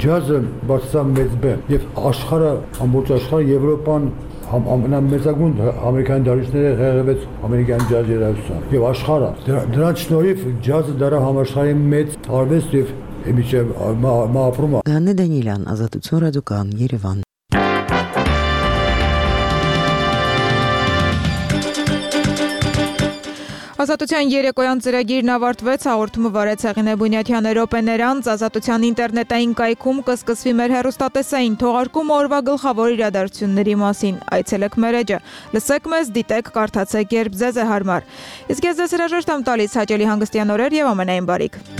ջազը բարձր մեծ բեմ եւ աշխարհը, ամբողջ աշխարհը Եվրոպան ամենամեծագույն ամերիկյան դարիչները ղեկավարեց ամերիկյան ջազ երաժշտությամբ եւ աշխարհը դրանց շնորհիվ ջազը դարա համաշխարհային մեծ արվեստ եւ միջև մահապրում։ Գանե Դանիելյան, Ազատություն ռադիոկան, Երևան։ Ազատության երեկոյան ծրագիրն ավարտվեց, հաղորդումը վարեց Հեղինե Բունյաթյանը, Ռոպե Ներանց, Ազատության ինտերնետային կայքում կսկսվի մեր հեռուստատեսային թողարկումը օրվա գլխավոր իրադարձությունների մասին։ Այցելեք մեր էջը, լսեք մեզ, դիտեք, կարդացեք, երբ ձեզ է հարմար։ Իսկ ես ձեզ հրաժեշտ եմ տալիս, հաճելի հանգստյան օրեր եւ ամենայն բարիք։